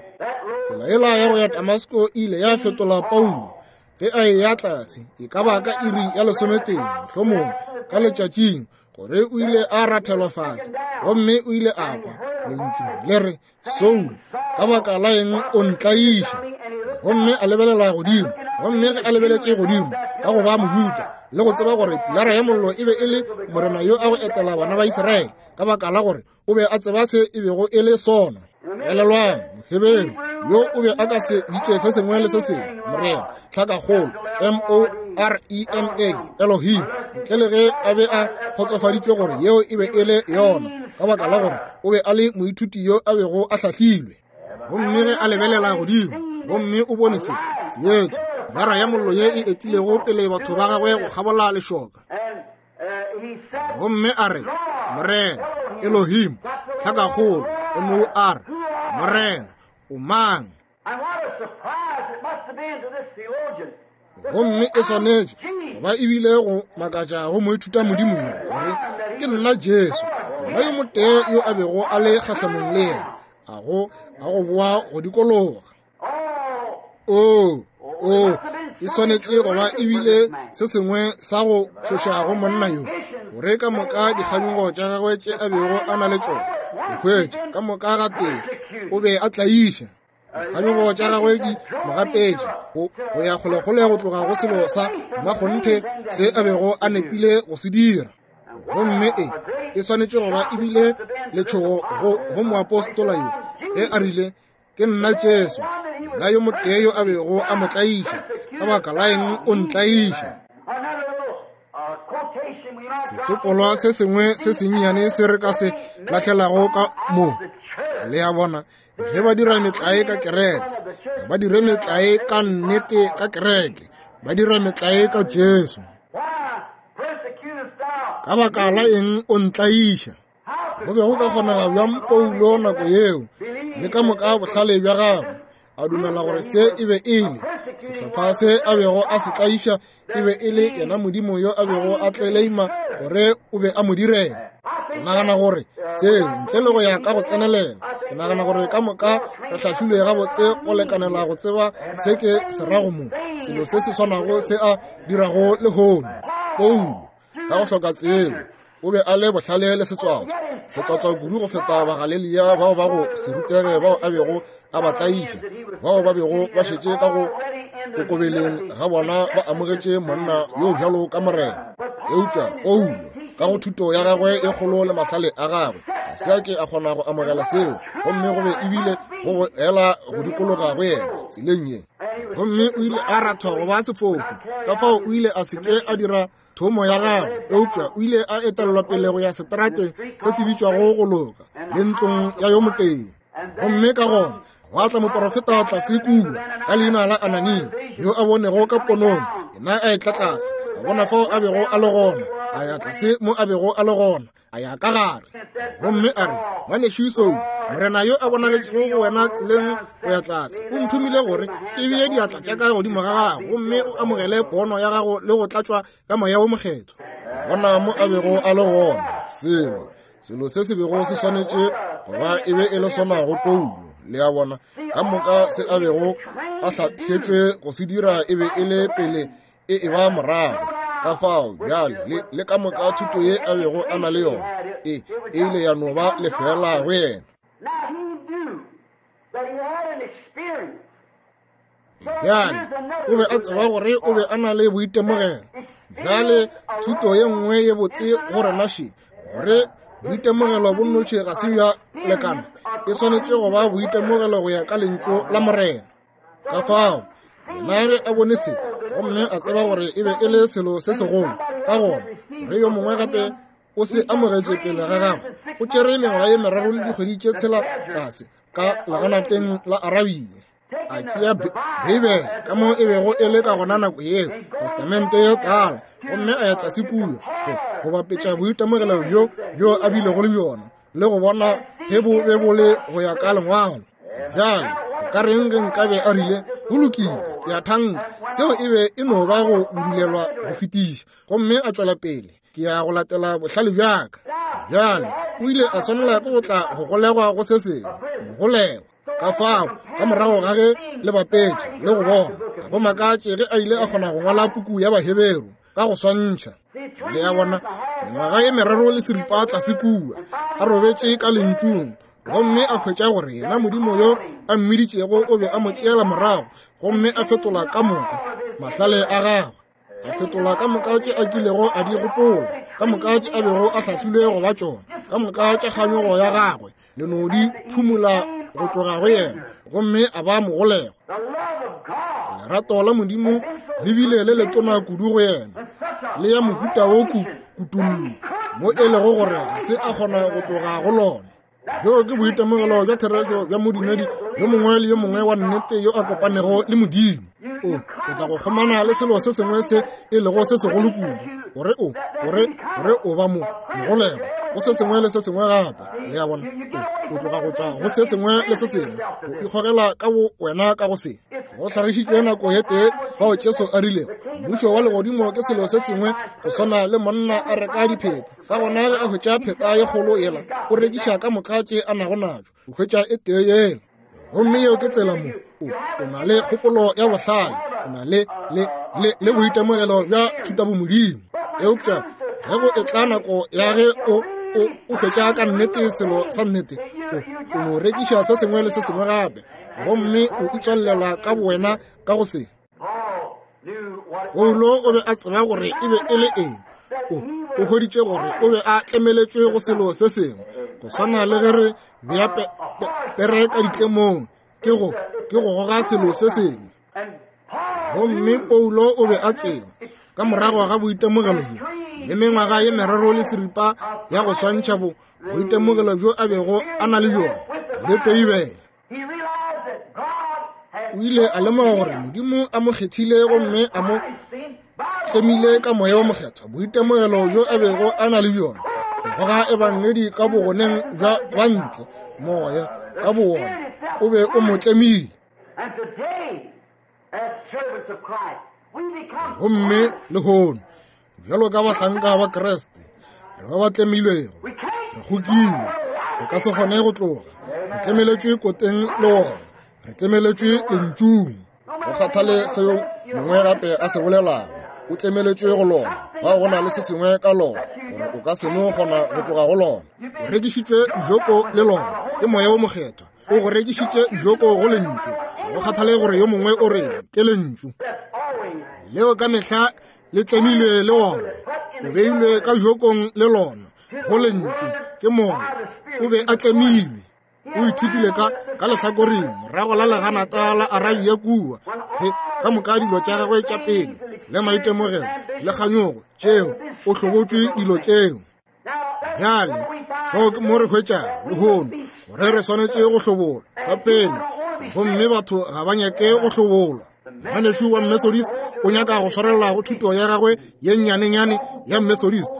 Tsela yela ya go ya Damasko e ile ya fetola Paulo ge a eya tlase, e ka ba ka iri ya lesometee mohlomongwe ka letšatšing, gore o ile a rathelwa fase, gomme o ile a kwa lentšu le re, Saul, ka baka la eng o ntlaiša? Gomme a lebelela godimo, gomme ge a lebeletše godimo ka go ba Mojuda le go tseba gore pilara ya mollo e be e le morena yo a go etela bana ba Israele, ka baka la gore o be a tseba se e bego e le sona. Elelwang, Moheberu yo o be a ka se bitše se sengwe le se sengwe Morena, tlhakakgolo M O R E N A, Elohim, ntle le ge a be a kgotsofaditšwe gore yeo e be e le yona, ka baka la gore o be a le moithuti yo a bego a hlahlilwe. Gomme ge a lebelela godimo, gomme o bone se seetša, gara ya mollo ye e etilego pele batho ba gagwe go kgabola lešoka. Gomme a re, Morena, Elohim, tlhakakgolo M O R, Morena, o mang? Gomme e swanetše goba ebile go makatša go moithuta modimo yo gore ke nna Jesu, yena yo motee yo a bego a le kgahlanong le yena, a go a go boa go dikologa. O o e swanetše goba ebile se sengwe sa go tšhoša go monna yo, gore ka moka dikganyogo tša gagwe tše a bego a na le tšona, go hwetša ka moka ga tee o be a tlaiša. Dikganyogo tša gagwe di mo gapetše go ya kgolekgole go tloga go selo sa mmakgonthe se a bego a nepile go se dira. Gomme e e swanetše goba ebile letšhogo go go moapostola yo ge a rile, ke nna Jesu, yena yo motee yo a bego a mo tlaiša, ka baka la eng o ntlaiša? Setsopolwa se sengwe se sennyane se re ka se lahlelago ka mo. Le a bona, ge ba dira metlae ka kereke, ga ba dire metlae ka nnete ka kereke, ba dira metlae ka Jesu. Ka baka la eng o ntlaiša? Go be go ka kgonega bjang Paulo nako yeo, le ka moka bohlale bja gagwe, a dumela gore se e be e le sehlopha se a bego a se tlaiša e be e le yena Modimo yo a bego a tleleima gore o be a mo direla? Ke nagana gore seo ntle le go ya ka go tsenelela, ke nagana gore ka moka re hlahlilwe gabotse go lekanela go tseba se ke se rago mo, selo se se swanago se a dirago lehono. Paulo ka go hloka tsebo o be a le bohlale le setswatswa, setswatswa kudu go feta Bagalelia bao ba go se rutege bao a bego a ba tlaiša, bao ba bego ba šetše ka go kokobeleng ga bona ba amogetše monna yo bjalo ka Morena. Eupša Paulo ka go thuto ya gagwe e kgolo le mahlale a gagwe ga se a ke a kgona go amogela seo, gomme go be ebile go boela go dikologa go yena tseleng ye. Gomme o ile a rathwa go ba sefofu, ka fao o ile a se ke a dira thomo ya gagwe, eupša o ile a etelelwa pele go ya seterateng se se bitšwago go loka le ntlong ya yo motee. Gomme ka gona gwa tla moporofeta tlase kua ka leina la Anania, yo a bonego ka ponong, yena a etla tlase, a bona fao a bego a le gona, a ya tlase mo a bego a le gona, a ya ka gare. Gomme a re, ngwanešu Saul, Morena yo a bonagetšego go wena tseleng go ya tlase o nthomile gore ke bee diatla tša ka godimo ga gago, gomme o amogele pono ya gago le go tlatšwa ka moya wo mokgethwa. Bona mo a bego a le gona, selo selo se se bego se swanetše goba e be e le sona go Paulo. Le a bona, ka moka se a bego a hlahletšwe go se dira e be e le pele e e ba morago. Ka fao bjale le, le ka moka thuto ye a bego a na le yona e e ile ya no ba lefela go yena. Bjale o be a tseba gore o be a na le boitemogelo. Bjale thuto ye nngwe ye botse go rena še, gore boitemogelo bo nnoši ga se bja lekana, e swanetše go ba boitemogelo go ya ka lentšu la Morena. Ka fao yena ge a bone se, gomme a tseba gore e be e le selo se segolo, ka gona gore yo mongwe gape o se amogetše pele ga gagwe, o tšere mengwaga ye meraro le dikgwedi tše tshela tlase ka leganateng la Arabia, a tšea Beibele ka mo e bego e le ka gona nako yeo, Testamente ye Tala, gomme a ya tlase kua go bapetša boitemogelo bjo bjo a bilego le bjona le go bona ge bo be bo le go ya ka lengwalo. Bjale ka reng ge nkabe a rile, go lokile, ke a thanka seo e be e no ba go budulelwa go fetiša, gomme a tšwela pele, ke ya go latela bohlale bjaka. Bjale o ile a swanela ke go tla go golegwa go se sengwe, golegwa. Ka fao ka morago ga ge le bapetše le go bona, ga go makatše ge a ile a kgona go ngwala puku ya Baheberu ka go swantšha. Le a bona, mengwaga ye meraro le seripa tlase kua a robetše ka lentšung, gomme a hwetša gore yena Modimo yo a mmiditšego o be a mo tšeela morago, gomme a fetola ka moka mahlale a gagwe, a fetola ka moka tše a kilego a di gopola, ka moka tše a bego a hlahlilwe go ba tšona, ka moka tša kganyogo ya gagwe, le no di phumula go tloga go yena gomme a ba mogolego. Lerato la Modimo le bile le letona kudu go yena, le ya mohuta wo kutullo mo e lego gore ga se a kgona go tloga go lona. Bjo ke boitemogelo bja therešo bja modumedi yo mongwe le yo mongwe wa nnete yo a kopanego le Modimo. O o tla go kgomana le selo se sengwe se e lego se segolo kudu gore o gore gore o ba mo mogolego go se sengwe le se sengwe gape. Le a bona, o o tloga go tšwa go se sengwe le se sengwe, o ikgogela ka bo wena ka go se. Go hlagišitšwe nako ye tee fao Jesu a rilego mmušo wa legodimo ke selo se sengwe go swana le monna a reka dipheta. Ka gona ge a hwetša pheta ye kgolo yela, o rekiša ka moka tše a nago natšo, o hwetša e tee yela. Gomme yeo ke tsela mo o o na le kgopolo ya bohlale, o na le le le le boitemogelo bja thutabomodimo. Eupša ge go etla nako ya ge o o o hwetša ka nnete selo sa nnete, o o no rekiša se sengwe le se sengwe gape, gomme o itswalela ka bowena ka go se. Paulo o be a tseba gore e be e le eng. O o hweditše gore o be a tlemeletšwe go selo se sengwe, go swana le ge re bea pe, pe, pere ka ditlemong, ke go ke go goga selo se sengwe. Gomme Paulo o be a tseba ka morago ga boitemogelo bjo le mengwaga ye meraro le seripa ya go swantšha bo boitemogelo bjo a bego a na le bjona le Beibele. O ile a lemoga gore Modimo a mo kgethile gomme a mo tlemile ka moya wa mokgethwa, boitemogelo bjo a bego a na le bjona go goga ebangedi ka bogoneng bja bantle, moya ka bowona o be o mo tlemile. Gomme lehono bjalo ka bahlanka ba Kriste re ba ba tlemilwego, re kgokilwe, re ka se kgone go tloga, re tlemeletšwe koteng le wona, re tlemeletšwe lentšung. Go kgathale seo mongwe gape a se bolelago, o tlemeletšwe go lona. Ba go na le se sengwe ka lona gore o ka se no kgona go tloga go lona. O rekišitšwe joko le lona ke moya wo mokgethwa, o go rekišitše joko go lentšu. Go kgathale gore yo mongwe o reng, ke lentšu leo ka mehla le tlemilwe le wona, o beilwe ka jokong le lona go lentšu ke moya. O be a tlemilwe. O ithutile ka ka lehlakoreng morago la leganata la Arabia kua, ge ka moka dilo tša gagwe tša pele le maitemogelo le kganyogo tšeo, o hlobotšwe dilo tšeo. Bjale fao ke mo re hwetšago lehono gore re swanetše go hlobola sa pele, gomme batho ga ba nyake go hlobolwa. Ngwanešu wa Methodist o nyaka go swarelela go thuto ya gagwe ye nnyanenyane ya Methodist.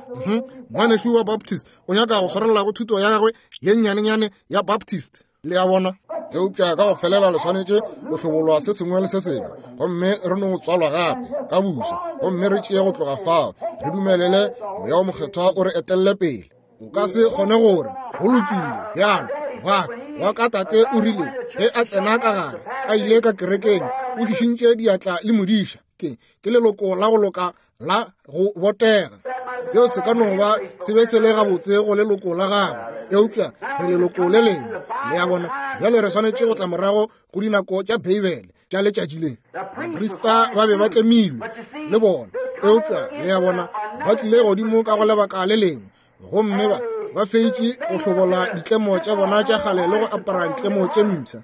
Ngwanešu wa Baptist o nyaka go swarelela go thuto ya gagwe ye nnyanenyane ya Baptist. Le a bona? Eupša ka go felela le swanetše go hlobolwa se sengwe le se sengwe, gomme re no tswalwa gape ka bušo, gomme re tšee go tloga fao, re dumelele moya wo mokgethwa o re etelle pele. O ka se kgone gore go lokile bjalo wa wa ka tate o rile ge a tsena ka gare a ile ka kerekeng, o šišintše diatla le modiša. Ke ke leloko la go loka la go botega. Seo se ka no ba se be se le gabotse go leloko la gagwe, eupša re leloko le lengwe. Le a bona? Bjale re swanetše go tla morago go dinako tša Beibele tša letšatši le. Baprista ba be ba tlemilwe le bona, eupša le a bona ba tlile godimo ka go lebaka le lengwe, gomme ba ba feitše go hlobola ditlemo tša bona tša kgale le go apara ditlemo tše mpsha.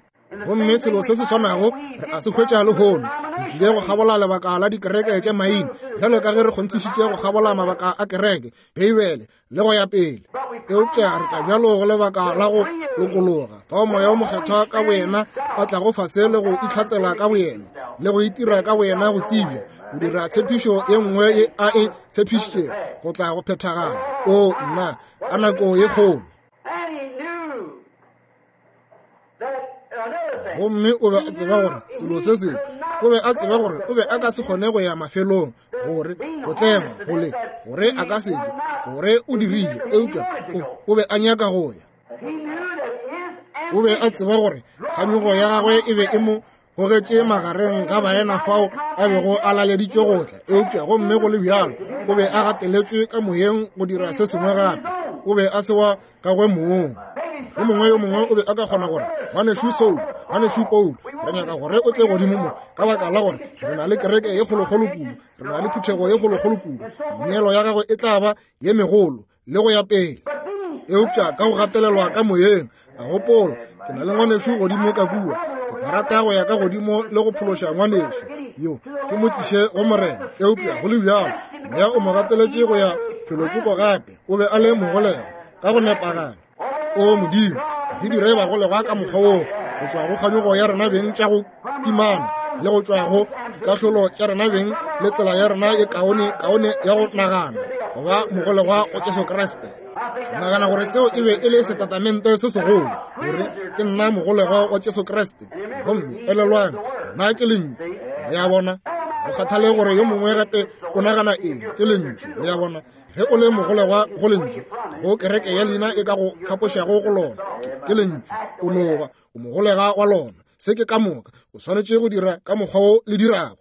Gomme selo se se swanago re a se hwetša lehono. Re tlile go kgabola lebaka la dikereke tša maina, bjalo ka ge re kgonthišitše go kgabola mabaka a kereke, Beibele le go ya pele. Eupša re tla bjalo go lebaka la go lokologa, fao moya wo mokgethwa ka boyena a tlago fase le go itlhatsela ka boyena le go itira ka boyena go tsebja, go dira tshepišo ye nngwe ye a e tshepišitšego go tla go phethagala. O nna, ka nako ye kgolo. Gomme o be a tseba gore selo se sengwe, o be a tseba gore o be a ka se kgone go ya mafelong, gore go tlengwa go le gore a ka seke, gore o dirile, eupša o, o be a nyaka go ya. O be a tseba gore kganyogo ya gagwe e be e mo gogetše magareng ga baena fao a bego a laleditšwe go tla, eupša gomme go le bjalo o be a gateletšwe ka moyeng go dira se sengwe gape. O be a se wa gagwe mong. Yo mongwe yo mongwe o be a ka kgona gore ngwanešu Saul, ngwanešu Paul, re nyaka gore o tle godimo mo ka baka la gore re na le kereke ye kgolokgolo kudu, re na le phuthego ye kgolokgolo kudu, meneelo ya gagwe e tla ba ye megolo le go ya pele. Eupša ka go gatelelwa ka moyeng, a gopola, ke na le ngwanešu godimo ka kua, ke tla rata go ya ka godimo le go phološa ngwanešu yo, ke mo tliše go Morena. Eupša go le bjalo, moya o mo gateletše go ya felotsoko gape. O be a le mogolegwa ka go nepagala. O Modimo, re dire bagolegwa ka mokgwa woo, go tšwa go kganyogo ya rena beng tša go timana, le go tšwa go dikahlolo tša rena beng le tsela ya rena e kaone kaone ya go nagana, go ba mogolegwa go Jesu Kriste. Ke nagana gore seo e be e le setatamente se segolo, gore ke nna mogolegwa wa Jesu Kriste. Gomme elelwang, nna ke lentšu. Le a bona? Go kgathale gore yo mongwe gape o nagana eng, ke lentšu. Le a bona? Ge o le mogolegwa go lentšu, go kereke ya leina e ka go kgapošago go lona, ke lentšu. O no ba o mogolega wa lona. Se ke ka moka. O swanetše go dira ka mokgwa wo le dirago.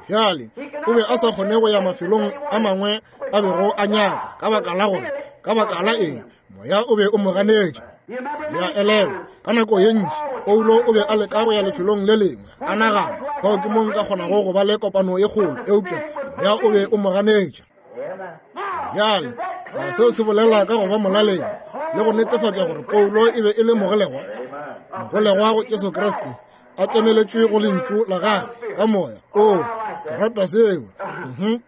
Bjale, o be a sa kgone go ya mafelong a mangwe a bego a nyaka, ka baka la gore, ka baka la eng, moya o be o mo ganetša. Le a elelwa, ka nako ye ntši Paulo o be a leka go ya lefelong le lengwe, a nagana, fao ke mo nka kgonago go ba le kopano ye kgolo, eupša moya o be o mo ganetša. Bjale, seo se bolela ka go ba molaleng le go netefatša gore Paulo e be e le mogolegwa, mogolegwa go Jesu Kriste, a tlemeletšwe go lentšu la gagwe ka moya. O, ke rata seo. Mhm.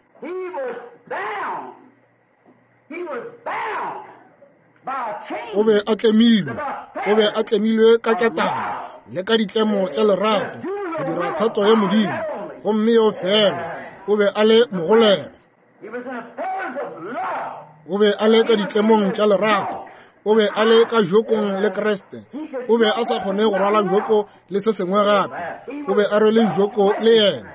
O be a tlemilwe, o be a tlemilwe ka ketane le ka ditlemo tša lerato go dira thato ya Modimo, gomme yo fela o be a le mogolegwa. O be a le ka ditlemong tša lerato, o be a le ka jokong le Kriste. O be a sa kgone go rwala joko le se sengwe gape, o be a rwele joko le yena.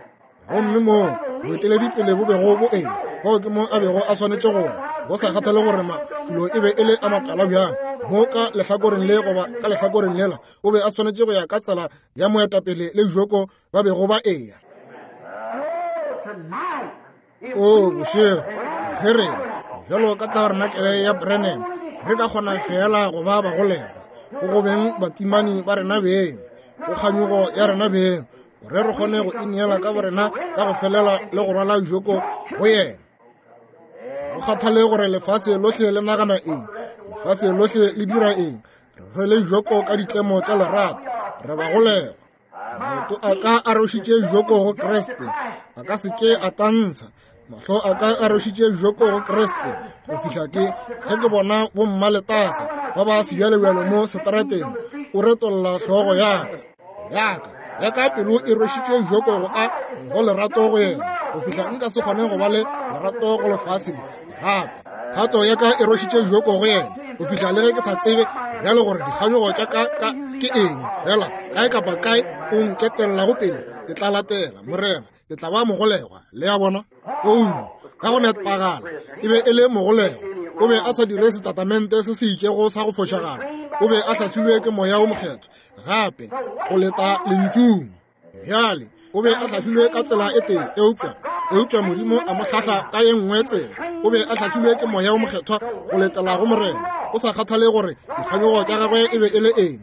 Gomme moo boeteledipele bo bego bo eng, fao ke mo a bego a swanetše go ya, go sa kgathale gore mafulo e be e le a matala bjang, mo ka lehlakoreng le goba ka lehlakoreng lela, o be a swanetše go ya ka tsela ya moetapele le joko ba bego ba eya. O bošego, ge rena bjalo ka tabernakelé ya Branham re ka kgona fela go ba bagolegwa go go beng batimani ba rena beng, go kganyogo ya rena beng, gore re kgone go ineela ka borena ka go felela le go rwala joko go yena. Go kgathale gore lefase lohle le nagana eng, lefase lohle le dira eng, re rwele joko ka ditlemo tša lerato, re bagolegwa. Maoto a ka a rwešitše joko go Kriste, a ka se ke a tantsha. Mahlo a ka a rwešitše joko go Kriste, go fihla ke ge ke bona bommaletasa ba ba sebjalebjalo mo seterateng, o retolla hlogo yaka yaka ya ka pelo e rwešitše joko go ka go lerato go yena, go fihla nka se kgone go ba le lerato go lefase le gape. Thato ya ka e rwešitše joko go yena, go fihla le ge ke sa tsebe bjalo gore dikganyogo tša ka ka ke eng, fela kae kapa kae o nketellago pele, ke tla latela Morena, ke tla ba mogolegwa. Le a bona? Paulo ka go nepagala e be e le mogolegwa. O be a sa dire setatamente se se itšego sa go fošagala, o be a hlahlilwe ke moya o mokgethwa gape go leta lentšung. Bjale o be a hlahlilwe ka tsela e tee, eupša eupša Modimo a mo hlahla ka ye nngwe tsela. O be a hlahlilwe ke moya o mokgethwa go letela go Morena, o sa kgathale gore dikganyogo tša gagwe e be e le eng.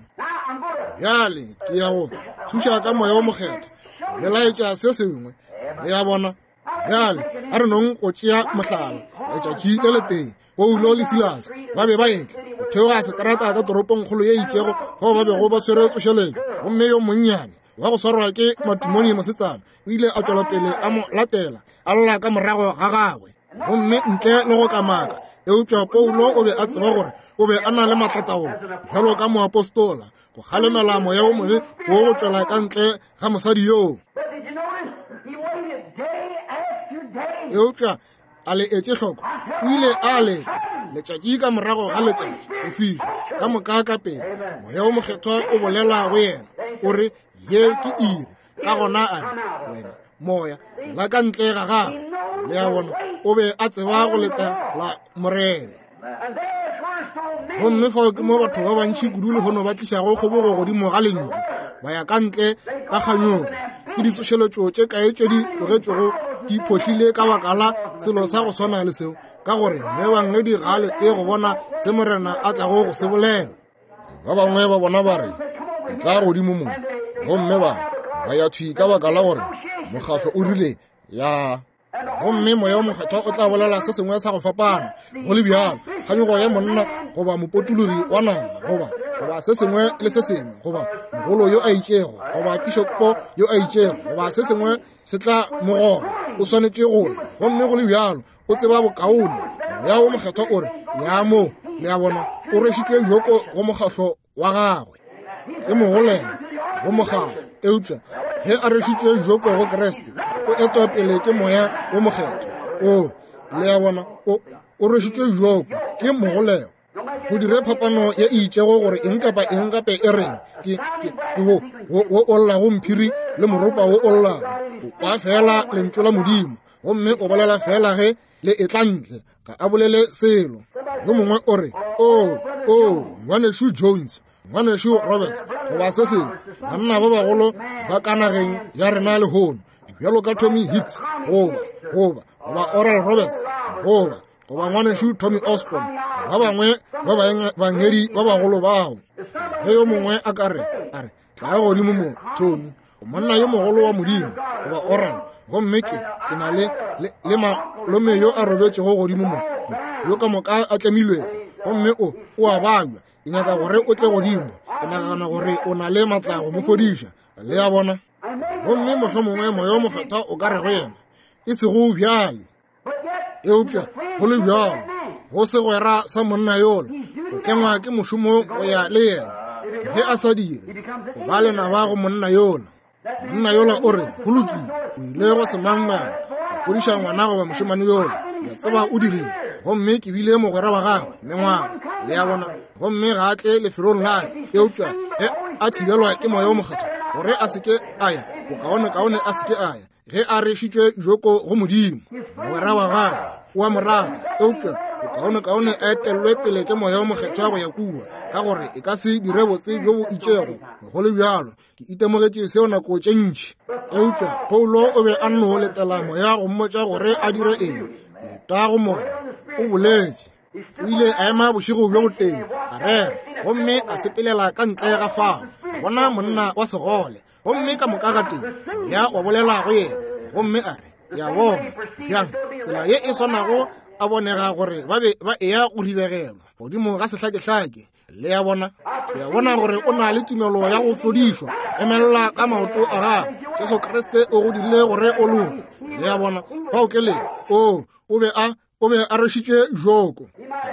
Bjale ke ya go thuša ka moya o mokgethwa le laetša se sengwe. Le a bona? Bjale a re nong go tšea mohlala. Letšatši le letee Paulo le Silas ba be ba etla go theoga seterata ka toropongkgolo ye itšego fao ba bego ba swere tsošeletšo, gomme yo monnyane wa go swarwa ke matimoni mosetsana o ile a tšwela pele a mo latela, a lla ka morago ga gagwe, gomme ntle le go kamaka. Eupša Paulo o be a tseba gore o be a na le matlataolo bjalo ka moapostola go kgalemela moya o mobe wo go tšwela ka ntle ga mosadi yoo. Eupša a le etše hloko, o ile a leta letšatši ka morago ga letšatši go fihla ka moka ka pele moya o mokgethwa o bolela go yena, o re, ye ke iri. Ka gona a re, wena moya tšwela ka ntle ga gagwe. Le a bona? O be a tseba go leta la Morena. Gomme fao ke mo batho ba bantši kudu lehono ba tlišago kgobogo godimo ga lentšu, ba ya ka ntle ka kganyogo. Ke ditsošeletšo tše kae tše di tlogetšwego di phohlile ka baka la selo sa go swana le seo, ka gore moebangedi ga a lete go bona se Morena a tlago go se bolela. Ba bangwe ba bona ba re, tla godimo mo, gomme ba ba ya thwi ka baka la gore mokgahlo o rile ya. Gomme Moya wo Mokgethwa o tla bolela se sengwe sa go fapana, go le bjalo, kganyogo ya monna goba mopotologi wa naga goba goba se sengwe le se sengwe, goba mogolo yo a itšego goba pišopo yo a itšego goba se sengwe se tla mo goga, o swanetše go ya. Gomme go le bjalo o tseba bokaone. Moya wo Mokgethwa o re ya mo, le a bona, o rwešitšwe joko go mokgahlo wa gagwe, ke mogolega go mokgahlo. Eupša ge a rwešitšwe joko go Kriste, o etwa pele ke Moya wo Mokgethwa. O, le a bona, o o rwešitšwe joko ke mogolega. Go dire phapano ye e itšego gore eng kapa eng gape e reng, ke ke ke wo wo wo o llago mphiri le moropa wo o llago. O kwa fela lentšu la Modimo, gomme o bolela fela ge le etla ntle, ga a bolele selo. Yo mongwe o re, o o ngwanešu Jones, ngwanešu Roberts, goba se sengwe, banna ba bagolo ba ka nageng ya rena lehono, bjalo ka Tommy Hicks goba goba goba Oral Roberts goba goba ngwanešu Tommy Osborne, ba bangwe ba baengedi ba bagolo bao. Ge yo mongwe a ka re, a re, tla godimo mo, Tommy, o monna yo mogolo wa Modimo, goba Oral, gomme ke ke na le le malome yo a robetšego godimo mo, yo ka moka a tlemilwego, gomme o o a babja, ke nyaka gore o tle godimo, ke nagana gore o na le matla go mo fodiša. Le a bona? Gomme mohlomongwe Moya wo Mokgethwa o ka re go yena, e sego bjale. Eupša go le bjalo, go segwera sa monna yola, o tlengwa ke mošomo go ya le yena. Ge a sa dire, o ba lenaba go monna yola. Monna yola o re, go lokile, o ile go semangmang, a fodiša ngwana goba mošemane yola, ke a tseba o dirile, gomme ke bile mogwera wa gagwe mengwaga. Le a bona? Gomme ga a tle lefelong la ka. Eupša ge a thibelwa ke Moya wo Mokgethwa gore a se ke a ya, bokaonekaone a se ke a ya, ge a rwešitšwe joko go Modimo. Mogwera wa gagwe o a mo rata, eupša bokaonekaone a etellwe pele ke Moya wo Mokgethwa go ya kua, ka gore e ka se dire botse bjo bo itšego. Go le bjalo, ke itemogetše seo nako tše ntši. Eupša Paulo o be a nno letela Moya go mmotša gore a dire eng. Leta go Moya, o boletše. O ile a ema bošego bjo botee, a rera, gomme a sepelela ka ntle ga fao, a bona monna wa segole, gomme ka moka ga tee Moya wa bolela go yena, gomme a re, ke a bona bjang tsela ye e swanago a bonega gore ba be ba eya go ribegelwa godimo ga sehlakehlake. Le a bona? Ke a bona gore o na le tumelo ya go fodišwa. Emelela ka maoto a gago. Jesu Kriste o go dirile gore o loke. Le a bona? Fao ke le. O, o be a o be a rwešitšwe joko.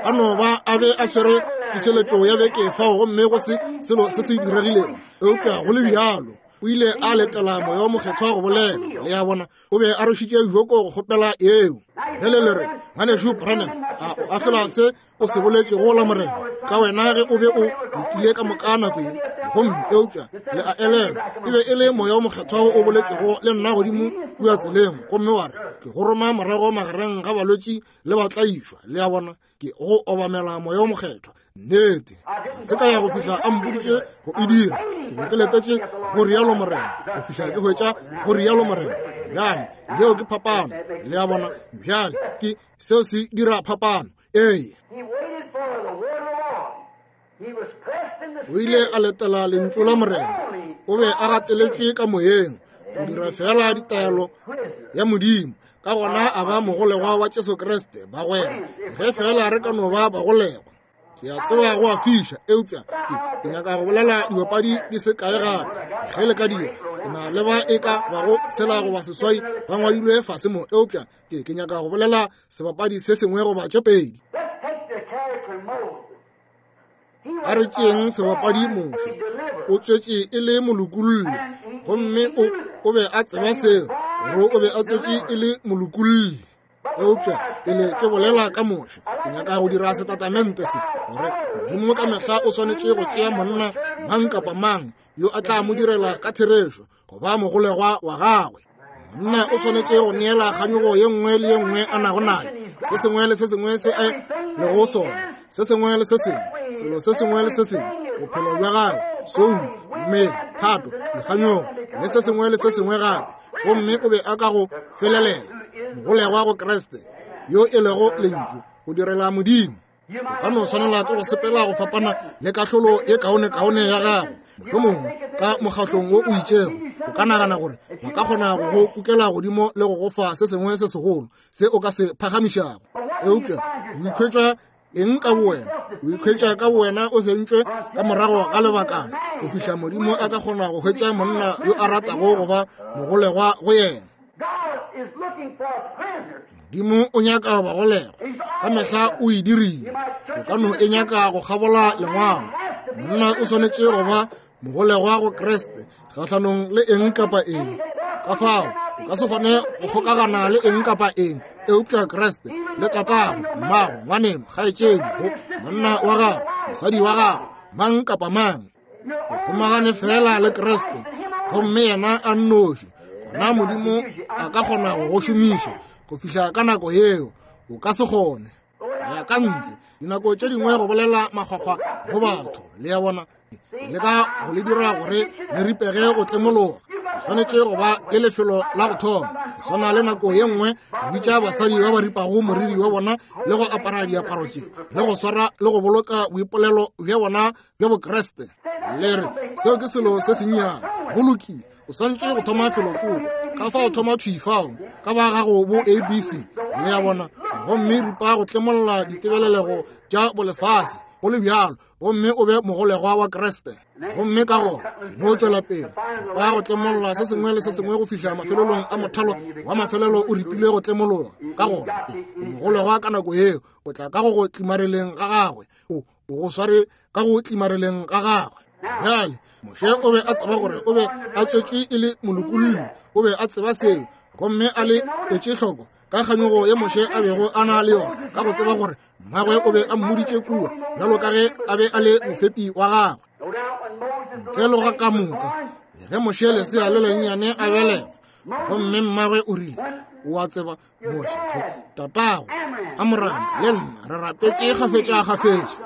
A no ba a be a swere tsošeletšo ya beke fao, gomme go se selo se se diregilego. Eupša go le bjalo, o ile a letela Moya wo Mokgethwa go bolela. Le a bona? O be a rwešitše joko go kgopela eo. Ge le le re, ngwanešu Branham, a o ahlola se o se boletšego la Morena ka wena ge o be o letile ka moka nako ye? Gomme eupša le a elelwa, e be e le Moya wo Mokgethwa o boletšego le nna godimo kua tseleng, gomme wa re, ke go roma morago magareng ga balwetši le batlaišwa. Le a bona? Ke go obamela Moya wo Mokgethwa. Nnete, ga se ka ya go fihla a mpoditše go e dira. Ke be ke letetše go rialo Morena, go fihla ke hwetša go rialo Morena. Bjale, yeo ke phapano. Le a bona? Bjale, ke seo se dira phapano. Ee. O ile a letela lentšu la Morena. O be a gateletšwe ka moyeng go dira fela ditaelo ya Modimo. Ka gona a ba mogolegwa wa Jesu Kriste. Bagwera, ge fela re ka no ba bagolegwa. Ke a tseba go a fiša, eupša ke nyaka go bolela dibapadi di se kae gape. Ge le ka dira, ke na le ba e ka bago tshela goba seswai ba ngwadilwe fase mo, eupša ke ke nyaka go bolela sebapadi se sengwe goba tše pedi. A re tšeeng sebapadi Moshe. O tswetše e le molokolli, gomme o o be a tseba seo, gore o be a tswetše e le molokolli. Eupša pele ke bolela ka Moshe, ke nyaka go dira setatamente se, gore Modimo ka mehla o swanetše go tšea monna mang kapa mang yo a tla mo direla ka therešo go ba mogolegwa wa gagwe. Monna o swanetše go neela kganyogo ye nngwe le ye nngwe a nago nayo, se sengwe le se sengwe se a lego sona, se sengwe le se sengwe, selo se sengwe le se sengwe, bophelo bja gagwe, soul, mmele, thato, dikganyogo, le se sengwe le se sengwe gape. Gomme o be a ka go felelela mogolegwa go Kriste, yo e lego lentšu, go direla Modimo. O ka no swanela ke go sepela go fapana le kahlolo ye kaonekaone ya gago, mohlomongwe ka mokgahlong wo o itšego, O ka nagana gore ba ka kgona go go kukela godimo le go go fa se sengwe se segolo se o ka se phagamišago. Eupša o ikhwetša eng ka bowena? O ikhwetša ka bowena o fentšwe ka morago ga lebakana go fihla Modimo a ka kgona go hwetša monna yo a ratago go ba mogolegwa go yena. Modimo o nyaka bagolegwa ka mehla o e dirile. O ka no e nyaka go kgabola lengwalo. Monna o swanetše go ba mogolegwa go Kriste kgahlanong le eng kapa eng. Ka fao o ka se kgone go kgokagana le eng kapa eng eupša Kriste le tatago, mmago, ngwaneno, kgaetšedi, monna wa gago, mosadi wa gago, mang kapa mang. O kgomagane fela le Kriste gomme yena a nnoši. Gona Modimo a ka kgona go go šomiša go fihla ka nako yeo. O ka se kgone ya ka ntle dinako tše dingwe go bolela makgwakgwa go batho, le ya bona, le ka go le dira gore le ripege go tlemologa. O swanetše go ba le lefelo la go thoma. Go swana le nako ye nngwe go bitša basadi ba ba ripago moriri wa bona le go apara diaparo tše le go swara le go boloka boipolelo bja bona bja Bokriste. Le re seo ke selo se sennyane. Go lokile, o swanetše go thoma felotsoko. Ka fao thoma thwi fao ka ba gago bo A B C, le ya bona, gomme ripa go tlemolla ditebelelego tša bolefase go le bjalo, gomme o be mogolegwa wa Kriste. Gomme ka gona no tšwela pele ba go tlemolla se sengwe le se sengwe go fihla mafelelong a mothalo wa mafelelo o ripile go tlemologa. Ka gona o mogolegwa ka nako yeo, o tla ka go go tlimareleng ga gagwe, o go sware ka go tlimareleng ga gagwe. Bjale Moshe o be a tseba gore o be a tswetšwe e le molokolli, o be a tseba seo, gomme a le etše hloko ka kganyogo ye Moshe a bego a na le yona, ka go tseba gore mmagwe o be a mmoditše kua bjalo ka ge a be a le mofepi wa gagwe. Ntle le ga ka moka ge Moshe lesea le lennyane a belegwa, gomme mmagwe o rile, o a tseba Moshe, tatago Amoramo le nna re rapetše kgafetša-kgafetša,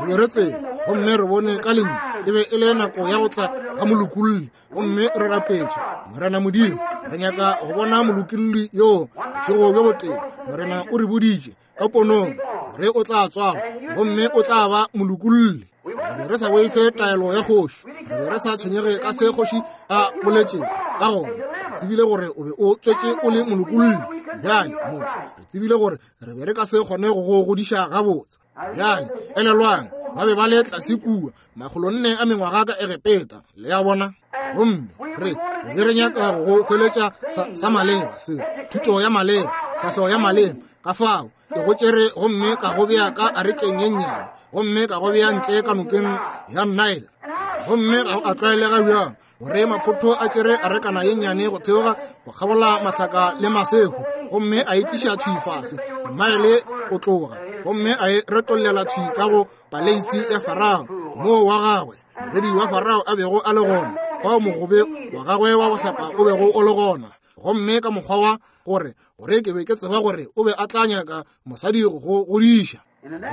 re be re tseba gomme re bone ka lentšu e be e le nako ya go tla ga molokolli, gomme re rapetše Morena Modimo, re nyaka go bona molokolli yoo bošego bjo botee. Morena o re boditše ka ponong gore o tla tswalwa gomme o tla ba molokolli. Re be re sa boife taelo ya kgoši, re be re sa tshwenyege ka se kgoši a boletšego, ka gona re tsebile gore o be o tswetše o le molokolli. Bjale Moshe, re tsebile gore re be re ka se kgone go go godiša gabotse. Bjale elelwang, ba be ba le tlase kua makgolonne a mengwaga ka Egepeta, le ya bona, gomme re re be re nyaka go go hweletša sa, sa maleba seo, thuto ya maleba, tlhahlo ya maleba. Ka fao ke go tšere gomme ka go bea ka arekeng ye nnyane, gomme ka go bea ntle ka nokeng ya Nile. Gomme ga a tlwaelega bjang gore maphotho a tšere arekana ye nnyane go theoga go kgabola mahlaka le masehu, gomme a e tliša thwi fase maele o tloga, gomme a e retollela thwi ka go paleisi ya Farao moo wa gagwe moredi wa Farao a bego a le gona, fao mogobe wa gagwe wa go hlapa o bego o le gona. Gomme ka mokgwa wa gore gore ke be ke tseba gore o be a tla nyaka mosadi go go godiša.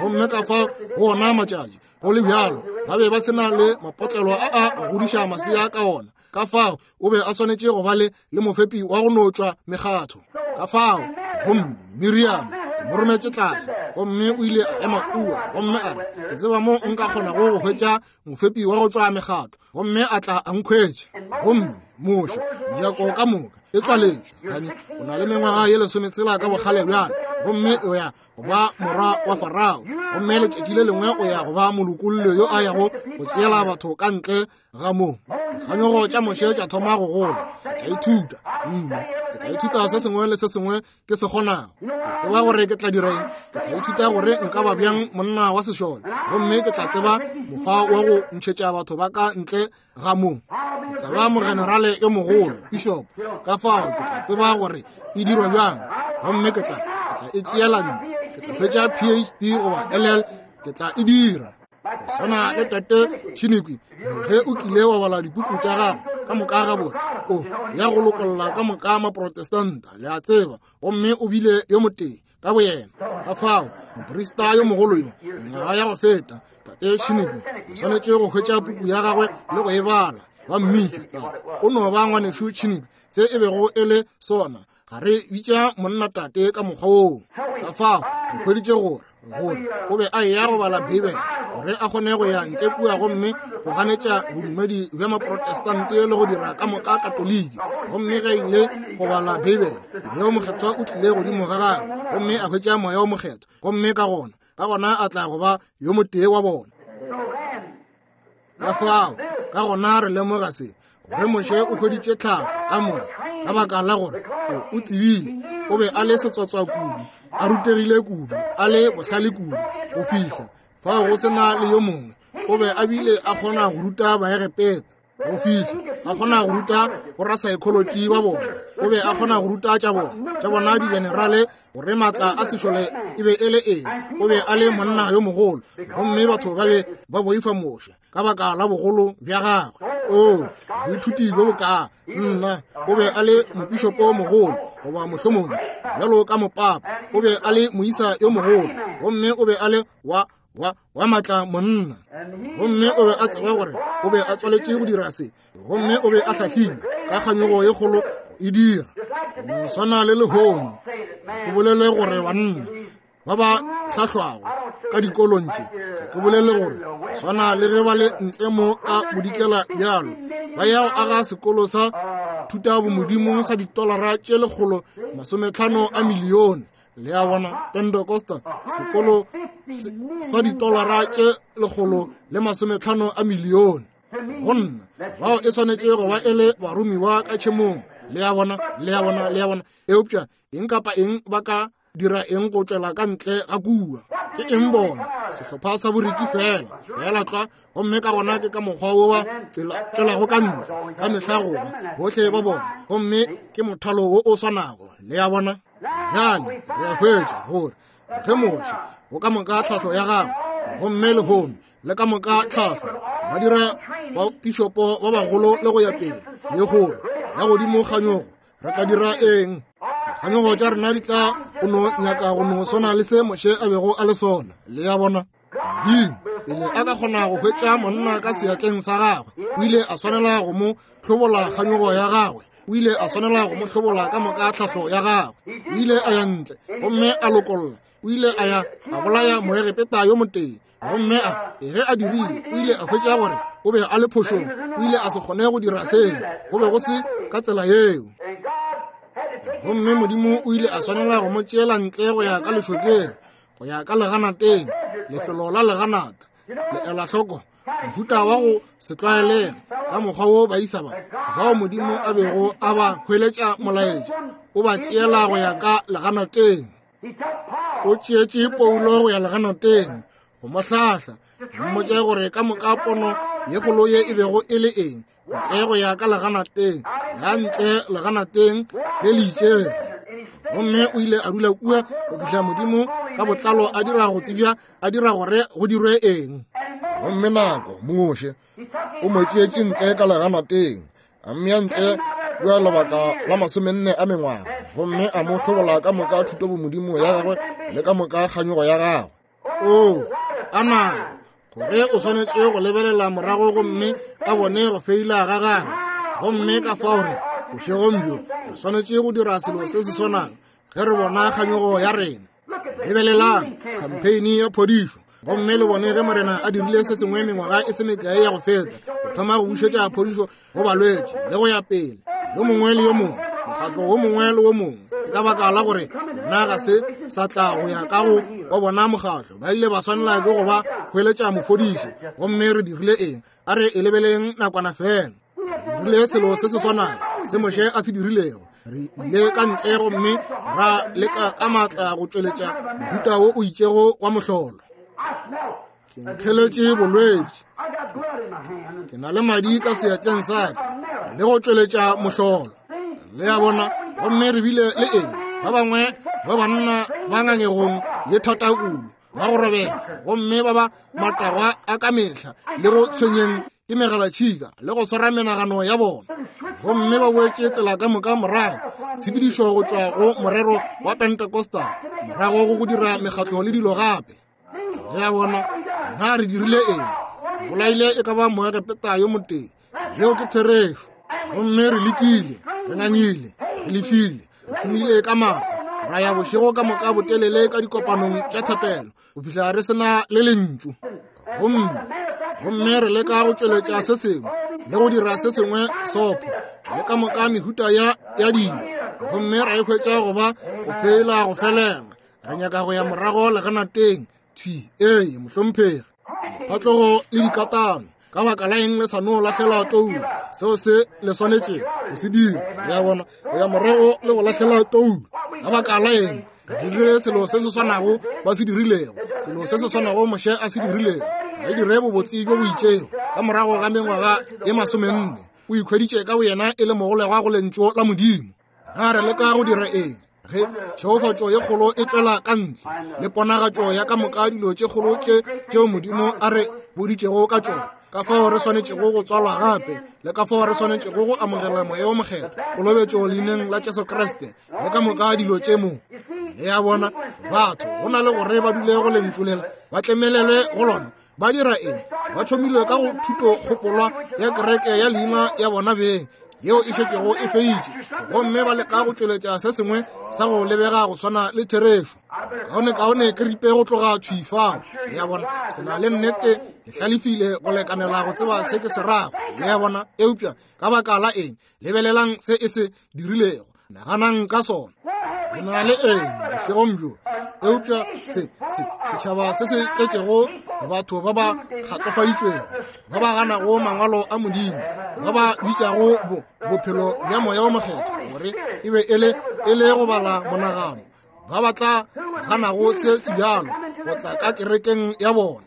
Gomme ka fa go ona matšatši go le bjalo ba be ba se na le mapotlelo a a go godiša masea ka ona. Ka fao o be a swanetše go ba le le mofepi wa go no tšwa mekgatho. Ka fao gomme Miriam ke mo rometše tlase, gomme o ile a ema kua gomme a re, ke tseba mo nka kgonago go hwetša mofepi wa go tšwa mekgatho, gomme a tla a nkhwetša. Gomme Moshe mejako ka moka e tswaletšwe, gane o na le mengwaga ye lesometshela ka bokgale bjale, gomme o ya go ba morwa wa Farao, gomme letšatši le lengwe o ya go ba molokolli yo a yago go tšeela batho ka ntle ga moo. Kganyogo tša Moshe tša thoma go gola. Ke tla ithuta, mme ke tla ithuta se sengwe le se sengwe ke se kgonago. Ke tseba gore ke tla dira eng, ke tla ithuta gore nka ba bjang monna wa sešole, gomme ke tla tseba mokgwa wa go ntšhetša batho ba ka ntle ga moo. Ke tla ba mogenerale yo mogolo, bishop, ka fao ke tla tseba gore e dirwa bjang, gomme ke tla ke tla e tšeela ntle, ke tla hwetša P H D goba L L, ke tla e dira. Go swana le tate Chinikwi, ge o kile wa bala dipuku tša gagwe ka moka gabotse, o ya go lokolla ka moka maprotestanta, le a tseba, gomme o bile yo motee ka boyena. Ka fao moprista yo mogolo yo mengwaga ya go feta, tate Chinikwi, o swanetše go hwetša puku ya gagwe le go e bala. Ba mmitša tate, o no ba ngwanešu Chinikwi, se e bego e le sona. Ga re bitša monna tate ka mokgwa woo. Ka fao re hweditše gore gore o be a eya go bala Beibele, gore a kgone go ya ntle kua gomme go ganetša bodumedi bja Maprotestante le go dira ka moka Katoliki. Gomme ge ile go bala Beibele, Moya wo Mokgethwa o tlile godimo ga gagwe, gomme a hwetša Moya wo Mokgethwa, gomme ka gona ka gona a tla go ba yo motee wa bona. Ka fao ka gona re lemoga se, gore Moshe o hweditše tlhahlo ka moka, ka baka la gore o tsebile o be a le setswatswa kudu, a rutegile kudu, a le bohlale kudu go fihla fao go sena le yo mongwe. O be a bile a kgona go ruta Baegepeta go fihla a kgona go ruta borasaekholoji ba bona. O be a kgona go ruta tša bona tša bona digenerale gore maatla a sešole e be e le eng. O be a le monna yo mogolo, gomme batho ba be ba boifa Moshe ka baka la bogolo bja gagwe. O boithuti bjo bokaa nna, o be a le mopišopo mogolo goba mohlomongwe bjalo ka mopapa. O be a le moisa yo mogolo, gomme o be a le wa wa wa matla monna, gomme o be a tseba gore o be a tswaletše go dira se, gomme o be a hlahlilwe ka kganyogo ye kgolo go e dira. Go swana le lehono, ke bolele gore banna ba ba hlahlwago ka dikolong tše, ke bolele gore swana le ge ba le ntle mo ka bodikela bjalo, ba ya go aga sekolo sa thutabomodimo sa ditolara tše lekgolo masometlhano a milione. Le a bona, Pentecostal sekolo sa ditolara tše lekgolo le masometlhano a milione. Go nna bao e swanetše go ba e le baromiwa ka tšhemong. Le a bona, le a bona, le a bona. Eupša eng kapa eng ba ka dira eng go tšwela ka ntle ga kua? Ke eng bona? Sehlopha sa boriki fela, fela tlwa. Gomme ka gona ke ka mokgwa wo ba tšwelago ka ntle ka mehla goba bohle ba bona, gomme ke mothalo wo o swanago. Le a bona? Bjale re a hwetša gore ge Moshe go ka moka tlhahlo ya gagwe, gomme lehono le ka moka tlhahlo ba dira bapišopo ba bagolo le go ya pele ye kgolo ya godimo kganyogo, re tla dira eng? Dikganyogo tša rena di tla go no nyaka go no swana le se Moshe a bego a le sona. Le a bona? Modimo pele a ka kgona go hwetša monna ka seatleng sa gagwe, o ile a swanela go mo hlobola kganyogo ya gagwe. O ile a swanela go mo hlobola ka moka tlhahlo ya gagwe. O ile a ya ntle gomme a lokolla. O ile a ya a bolaya Moegepeta yo motee, gomme a ge a dirile, o ile a hwetša gore o be a le phošong. O ile a se kgone go dira seo, go be go se ka tsela yeo. Gomme Modimo o ile a swanela go mo tšeela ntle go ya ka lešokeng, go ya ka leganateng, lefelo la leganata. Le ela hloko mohuta wa go se tlwaelege ka mokgwa wo baisa ba bao Modimo a bego a ba hweletša molaetša, o ba tšeela go ya ka leganateng. O tšeetše Paulo go ya leganateng go mo hlahla, go mmotša gore ka moka pono ye kgolo ye e bego e le eng, ntle go ya ka leganateng, ya ntle leganateng le le itšego. Gomme o ile a dula kua go fihla Modimo ka botlalo a dira go tsebja, a dira gore go dirwe eng. Gomme nako Moshe o mo tšeetše ntle ka leganateng, a mmea ntle kua lebaka la masomenne a mengwaga, gomme a mo hlobola ka moka thutobomodimo ya gagwe le ka moka kganyogo ya gagwe. O a nako gore o swanetše go lebelela morago gomme a bone go feila ga gagwe. Gomme ka fao re bošegong bjo re swanetše go dira selo se se swanago ge re bona kganyogo ya rena. Lebelelang campaign ya phodišo, gomme le bone ge Morena a dirile se sengwe mengwaga e se mekae ya go feta, go thoma go bušetša phodišo go balwetši le go ya pele, yo mongwe le yo mongwe, mokgatlo wo mongwe le wo mongwe. Ka baka la gore bona ga se sa tla go ya ka go wa bona mokgatlo, ba ile ba swanela ke go ba hweletša mofodiši. Gomme re dirile eng? A re e lebeleng nakwana fela. Re dirile selo se se swanago se Moshe a se dirilego. Re ile ka ntle gomme ra leka ka maatla go tšweletša mohuta wo o itšego wa mohlolo. Ke nkgeletše bolwetši, ke na le madi ka seatleng sa ka, le go tšweletša mohlolo. Le a bona? Gomme re bile le eng? Ba bangwe ba banna ba ngangegong ye thata kudu, ba go robega, gomme ba ba matagwa a ka mehla le go tshwenyeng ke megalatšhika le go swara menagano ya bona. Gomme ba boetše tsela ka moka morago, tshepedišo go tšwa go morero wa Pentecostal morago go go dira mekgatlo le dilo gape. Le a bona? Na re dirile eng? Re bolaile e ka ba Moegepeta yo motee. Yeo ke therešo. Gomme re lekile, re ngangile, re lefile, re šomile ka maatla, ra ya bošego ka moka botelele ka dikopanong tša thapelo go fihla re sena le lentšu. Gomme gomme re leka go tšweletša se sengwe le go dira se sengwe sopho le ka moka mehuta ya ya dilo, gomme ra e hwetša go ba go fela go felela. Re nyaka go ya morago leganateng thwi. Ee, mohlomphegi. Phatlogo le dikatano, ka baka la eng le sa no lahlela toulo? Seo se le swanetše go se dira. Le a bona, go ya morago le go lahlela toulo. Ka baka la eng re dirile selo se se swanago ba se dirilego, selo se se swanago Moshe a se dirilego? Re dire bobotse bjo bo itšego ka morago ga mengwaga ye masomenne. O ikhweditše ka boyena e le mogolegwa go lentšu la Modimo. Na re leka go dira eng ge tšhegofatšo ye kgolo e tšwela ka ntle le ponagatšo ya ka moka dilo tše kgolo tše tšeo Modimo a re boditšego ka tšona, ka fao re swanetšego go tswalwa gape le ka fao re swanetšego go amogela Moya wo Mokgethwa, kolobetšo leineng la Jesu Kriste le ka moka dilo tše mo? Le a bona, batho go na le gore ba dule go lentšu lela, ba tlemelelwe go lona. Ba dira eng? Ba thomile ka go thuto kgopolwa ya kereke ya leina ya bona beng yeo e šetšego e feitše, gomme ba leka go tšweletša se sengwe sa go lebega go swana le therešo. Kaone kaone ke ripe go tloga thwi fao. Le a bona, ke na le nnete le hlalefile go lekanela go tseba se ke se rago. Le a bona, eupša ka baka la eng? Lebelelang se e se dirilego, naganang ka sona. Re na le eng bošegong bjo? Eupša se se setšhaba se se tletšego batho ba ba kgatlofaditšwego, ba ba ganago mangwalo a Modimo, ba ba bitšago bo bophelo bja Moya wo Mokgethwa gore e be e le e le go bala monagano, ba ba tla ganago se se bjalo go tla ka kerekeng ya bona,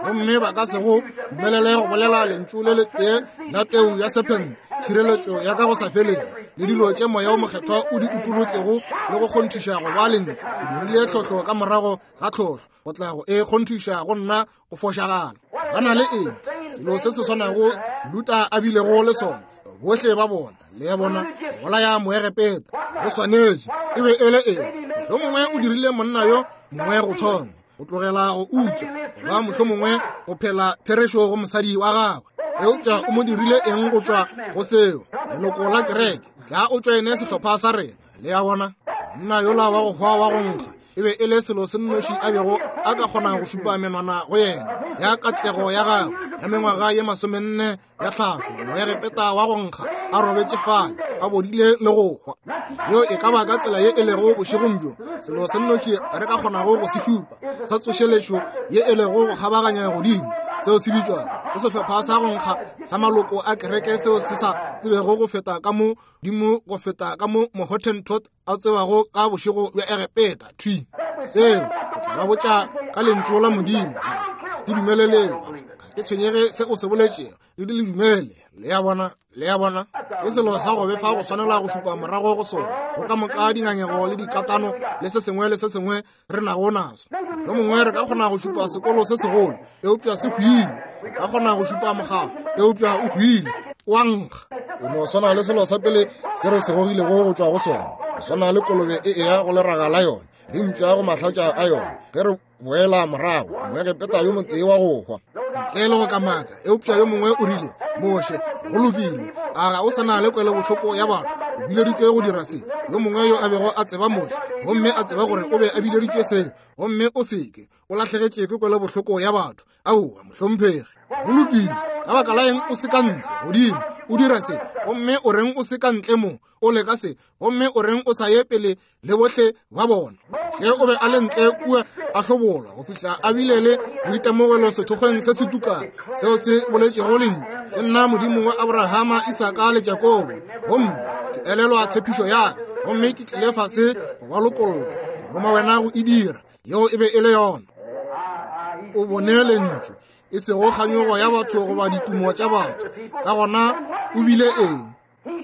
gomme ba ka se go dumelele go bolela lentšu le letee la peu ya sephente, tšhireletšo ya ka go sa felego le dilo tše Moya wo Mokgethwa o di utolotšego le go kgonthiša go ba lentšu. O dirile tlhohlo ka morago ga tlhohlo go tla go e kgonthiša go nna go fošagala. Ba na le eng? Selo se se swanago Luta a bilego le sona, bohle ba bona. Le a bona, bolaya Moegepeta go swanetše e be e le eng? Mohlomongwe o dirile monna yo mongwe go thoma go tlogela go utswa, goba mohlomongwe go phela therešo go mosadi wa gagwe. Eupša o mo dirile eng go tšwa go seo? Leloko la kereke, tla o tšoene sehlopha sa rena. Le a bona, monna yola wa go hwa wa go nkga e be e le selo se nnoši a bego a ka kgona go šupa menwana go yena ya katlego ya gagwe ya mengwaga ye masomenne ya tlhahlo. Moegepeta wa go nkga a robetše fale a bodile le go hwa. Yeo e ka ba ka tsela ye e lego bošegong bjo, selo se nnoši re ka kgonago go se šupa sa tsošeletšo ye e lego go kgabaganya godimo, seo se bitšwago ke sehlopha sa go nkga sa maloko a kereke seo se sa tsebego go feta ka mo dimo go feta ka mo Mohottentot a tsebago ka bošego bja Egepeta thwi. Seo o tla ba botša ka lentšu la Modimo, ke dumeleleng, ga ke tshwenyege se o se boletšego, le di le dumele. Le a bona, le a bona, ke selo sa go befa go swanela go šupa morago go sona, go ka moka dingangego le dikatano le se sengwe le se sengwe re nago naso. Mohlomongwe re ka kgona go šupa sekolo se segolo, eupša se hwile. Re ka kgona go šupa mokgatlo, eupša o hwile, o a nkga. O no swana le selo sa pele se re se gogilego go tšwa go sona, go swana le kolobe e eya go leraga la yona le mpša go mahlatša a yona. Ge re boela morago, Moegepeta yo motee wa go hwa ntle le go kamaka, eupša yo mongwe o rile, Moshe, go lokile, a ga o sa na le kwelobohloko ya batho? O bileditšwe go dira se. Yo mongwe yo a bego a tseba Moshe, gomme a tseba gore o be a bileditšwe se, gomme o seke o lahlegetše ke kwelobohloko ya batho. Aowa, mohlomphegi, go lokile, ka baka la eng o se ka ntle godimo o dira se, gomme o reng o se ka ntle mo o leka se, gomme o reng o sa ye pele le bohle ba bona? Ge o be a le ntle kua a hlobolwa go fihla a bile le boitemogelo sethokgweng se se tukang seo se boletšego lentšu, ke nna Modimo wa Abrahama, Isaka le Jakobo, gomme ke elelwa tshepišo ya ka, gomme ke tlile fase go ba lokolla, go roma wena go e dira. Yeo e be e le yona. O bone lentšu, e sego kganyogo ya batho goba ditumo tša batho. Ka gona o bile eng?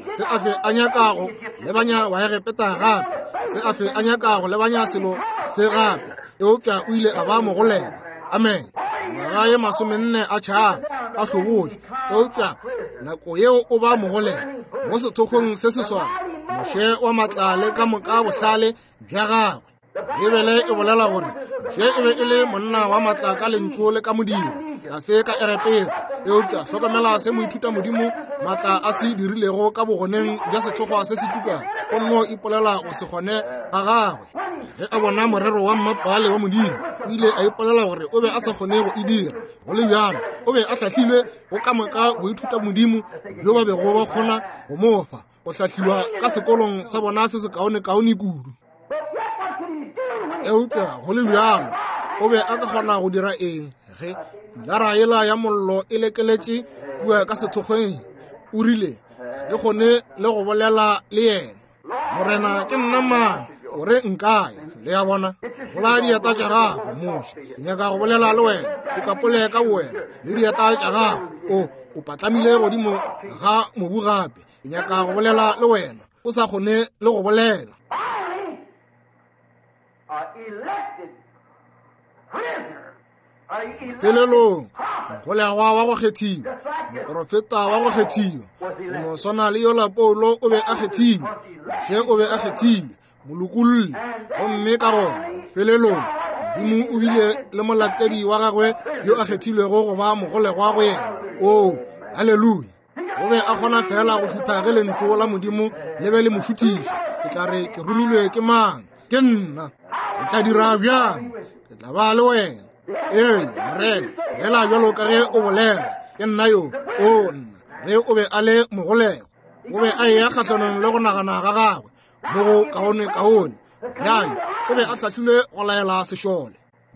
Se a hlwe a nyakago lebanya wa Egepeta gape, se a hlwe a nyakago lebanya selo se gape, eupša o ile a ba mogolega. Amen. Ngwaga ye masomenne a tšhaba a hlobotše, eupša nako yeo o ba mogolega mo sethokgweng se se swana, Moshe wa matla le ka moka bohlale bja gagwe. Bibele e bolela gore Moshe e be e le monna wa matla ka lentšu le ka modiro, tlase ka Egepeta. Eupša hlokomela se moithuta modimo matla a se dirilego ka bogoneng bja sethokgwa se se tukang, o nno ipolela go se kgone ga gagwe. Ge a bona morero wa mmapale wa Modimo, o ile a ipolela gore o be a sa kgone go e dira. Go le bjalo, o be a hlahlilwe go ka moka boithuta Modimo bjo ba bego ba kgona go mo fa, go hlahliwa ka sekolong sa bona se sekaonekaone kudu. Eupša go le bjalo, o be a ka kgona go dira eng ge pilara yela ya mollo e lekeletše kua ka sethokgweng? O rile, ga ke kgone le go bolela le yena. Morena, ke nna mang? O re nkaya? Le a bona? Bola dieta tša gago, Moshe. Ke nyaka go bolela le wena. O kapole ka wena le dieta tša gago. O o patlamile godimo ga mobu gape. Ke nyaka go bolela le wena. O sa kgone le go bolela. Felelong, mogolegwa wa go kgethiwa, moprofeta wa go kgethiwa, go no swana le yola Paulo o be a kgethilwe, Moshe o be a kgethilwe, molokolli. Gomme ka gona felelong Modimo o bile le molatedi wa gagwe yo a kgethilwego go ba mogolegwa go yena. Oo, haleluya! O be a kgona fela go šutha ge lentšu la Modimo le be le mo šuthiša. Ke tla re ke romilwe ke mang? Ke nna. Ke tla dira bjang? Ke tla ba le wena. Ee, Morena, fela bjalo ka ge o bolela, ke nna yo. O nna. Ge o be a le mogolegwa, o be a eya kgahlanong le go nagana ga gagwe mo go kaone-kaone. Bjale o be a hlahlilwe go laela sešole,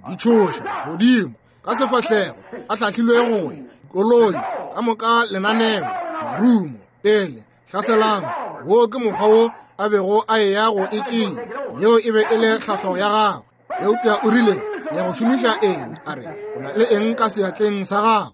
ditšhoša godimo ka sefahlego, a hlahlilwe go ya dikoloi ka moka, lenaneo, marumo, pele hlaselang. Wo ke mokgwa wo a bego a eya go e tšea. Yeo e be e le tlhahlo ya gagwe. Eupša o rile, ya go šomiša eng? A re, o na le eng ka seatleng sa gago?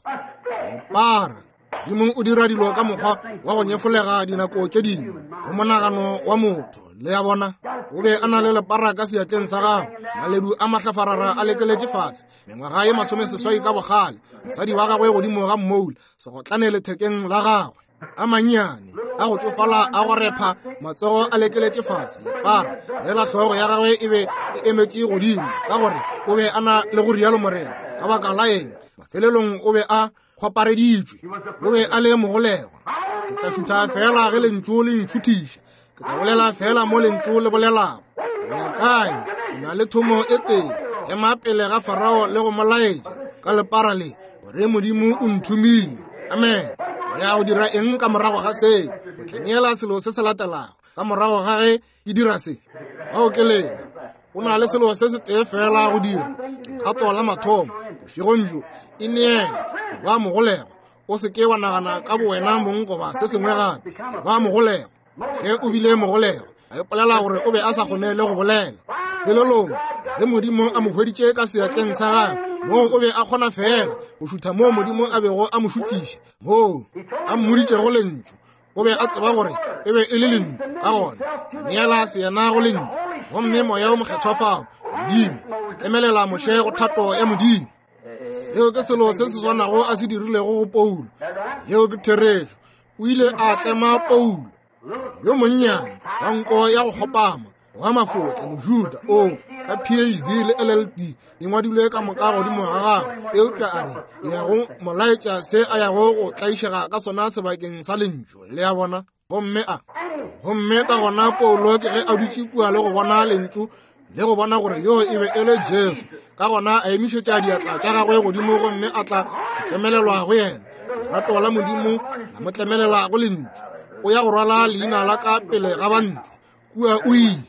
Lepara. Modimo o dira dilo ka mokgwa wa go nyefolega dinako tše dingwe go monagano wa motho. Le a bona? O be a na le lepara ka seatleng sa gagwe, maledu a mahlafarara a lekeletše fase, mengwaga ye masomeseswai ka bogale, mosadi wa gagwe godimo ga mmoula, segotlane lethekeng la gagwe, a mannyane a go tšofala a go repha, matsogo a lekeletše fase, lepara lela hlogo ya gagwe e be e emetše godimo, ka gore o be a na le go rialo Morena. Ka baka la eng? Mafelelong o be a kgwapareditšwe. O be a le mogolegwa. Ke tla šutha fela ge lentšu le ntšhuthiša. Ke tla bolela fela mo lentšu le bolelago. O ya kae? O na le thomo e tee. Ema pele ga Farao le go mo laetša ka lepara le gore Modimo o nthomile. Amen. O ya go dira eng ka morago ga seo? O tla neela selo se se latelago ka morago ga ge ke dira se. Fao ke lena. O na le selo se se tee fela go dira. Legato la mathomo bošegong bjo, e neele, ba mogolegwa. O se ke wa nagana ka bowena mong goba se sengwe gape. Ba mogolegwa. Ge o bile mogolegwa, a ipolela gore o be a sa kgone le go bolela. Felelong, ge Modimo a mo hweditše ka seatleng sa gagwe, moo o be a kgona fela go šutha moo Modimo a bego a mo šuthiša, moo a mmoditšego lentšu. O be a tseba gore e be e le lentšu, ka gona a neela seyena go lentšu. Gomme Moya o Mokgethwa fao, Modimo, a tlemelela Moshe go thato ya Modimo. Seo ke selo se se swanago a se dirilego go Paulo. Yeo ke therešo. O ile a tlema Paulo yo monnyane wa nko ya go kgopama, wa mafotle, Mojuda, o ka P H D le L L D di ngwadilwe ka moka godimo ga gagwe. Eupša a re ya go mo laetša se a yago go tlaišega ka sona sebakeng sa lentšu. Le a bona? Gomme a gomme ka gona Paulo ke ge a dutše kua le go bona lentšu le go bona gore yo e be e le Jesu. Ka gona a emišetša diatla tša gagwe godimo gomme a tla tlemelelwa go yena. Lerato la Modimo la mo tlemelela go lentšu. O ya go rwala leina la ka pele ga bantle. Kua o ile.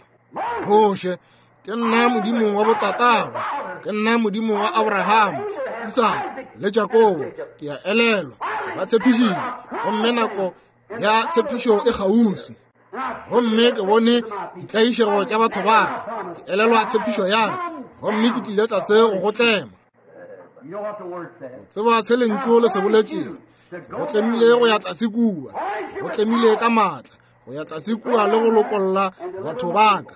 Moshe, ke nna Modimo wa botatago, ke nna Modimo wa Abraham, Isaka le Jakobo. Ke a elelwa, ke ba tshepišitše, gomme nako ya tshepišo e kgauswi. Gomme ke bone ditlaišego tša batho ba ka, ke elelwa tshepišo ya ka, gomme ke tlile tlase go go tlema. O tseba se lentšu le se boletšego. Go tlemile go ya tlase kua, go tlemile ka maatla go ya tlase kua le go lokolla batho ba ka.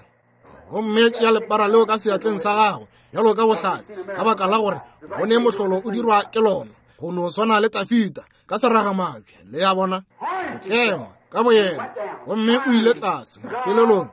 Gomme tšea lepara leo ka seatleng sa gago bjalo ka bohlatse, ka baka la gore bone mohlolo o dirwa ke lona, go no swana le Tafita ka seragamabje. Le a bona? Go tlema ka boyena. Gomme o ile tlase. Mafelelong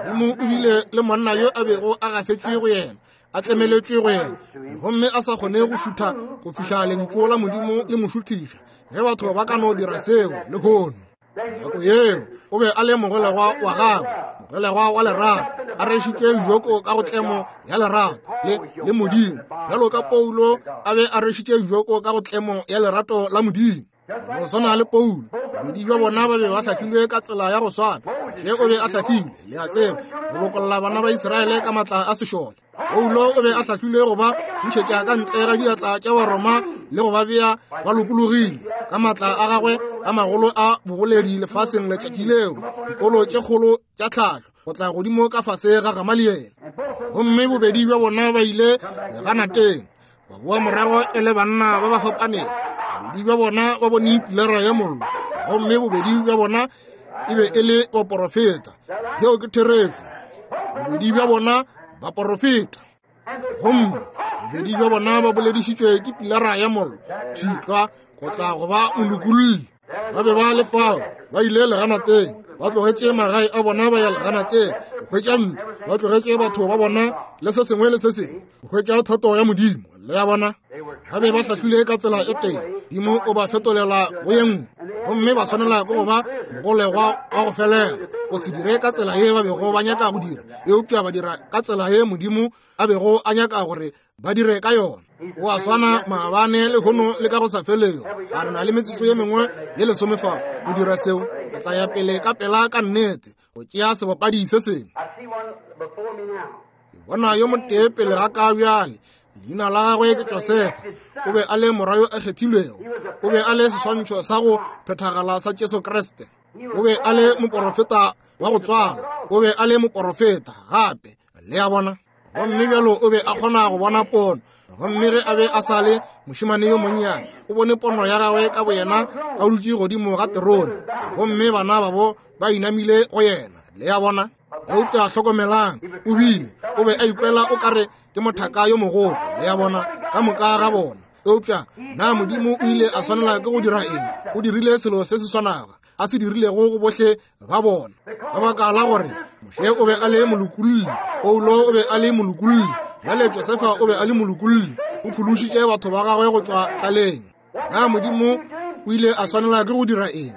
Modimo o bile le monna yo a bego a gafetšwe go yena, a tlemeletšwe go yena, gomme a sa kgone go šutha go fihla lentšu la Modimo le mo šuthiša. Ge batho ba ka no dira seo lehono, nako yeo O be a le mogolegwa wa gagwe, mogolegwa wa lerato, a rešitše joko ka go tlemo ya lerato le, le Modimo, bjalo ka Paulo a be a rešitše joko ka go tlemo ya lerato la Modimo. Go swana le Paulo, bobedi bja bona ba be ba hlahlilwe ka tsela ya go swana. Moshe o be a hlahlilwe, le a tseba, go lokolla bana ba Israele ka matla a sešole. Paulo o be a hlahlilwe go ba ntšhetša ka ntle ga diatla tša Baroma le go ba bea ba lokologile ka matla a gagwe a magolo a boboledi lefaseng letšatši leo, dikolo tše kgolo tša tlhahlo go tla godimo ka fase ga Gamaliele. Gomme bobedi bja bona ba ile leganateng, ba boa morago e le banna ba ba fapaneng. Bobedi bja bona ba bone pilara ya mollo, gomme bobedi bja bona e be e le baporofeta. Yeo ke therešo. Bobedi bja bona baporofeta, gomme bobedi bja bona ba boledišitšwe ke pilara ya mollo thitlwa go tla go ba molokolli. Ba be ba le fao, ba ile leganateng, ba tlogetše magae a bona ba ya leganateng go hwetša ntlo, ba tlogetše batho ba bona le se sengwe le se sengwe go hwetša thato ya Modimo. Le ya bona, ba be ba hlahlile ka tsela e tee, Modimo o ba fetolela go ye nngwe, gomme ba swanela ke go ba mogolegwa wa go felela, go se dire ka tsela ye ba bego ba nyaka go dira, eupša ba dira ka tsela ye Modimo a bego a nyaka gore ba dire ka yona. O a swana maabane le lehono le ka go sa felego. A re na le metsotso ye mengwe ye lesome fa go dira seo. Re tla ya pele ka pela ka nnete go tšea sebapadi se sengwe. Ke bona yo motee pele ga ka bjale. Leina la gagwe ke Josefa. O be a le morwa yo a kgethilwego. O be a le seswantšho sa go phethagala sa Jesu Kriste. O be a le moporofeta wa go tswalwa. O be a le moporofeta gape. Le a bona? Gomme bjalo o be a kgona go bona pono. Gomme ge a be a sa le mošemane yo monnyane, o bone pono ya gagwe ka boyena a dutše godimo ga terone, gomme bana babo ba inamile go yena. Le a bona? Eupša hlokomelang, o bile o be a ikwela o kare ke mothaka yo mogolo. Le a bona? Ka moka ga bona. Eupša na Modimo o ile a swanela ke go dira eng? O dirile selo se se swanago a se dirilego go bohle ba bona, ka baka la gore Moshe o be a le molokolli, Paulo o be a le molokolli, bjale Josefa o be a le molokolli. O phološitše batho ba gagwe go tšwa tlaleng. Na Modimo o ile a swanela ke go dira eng?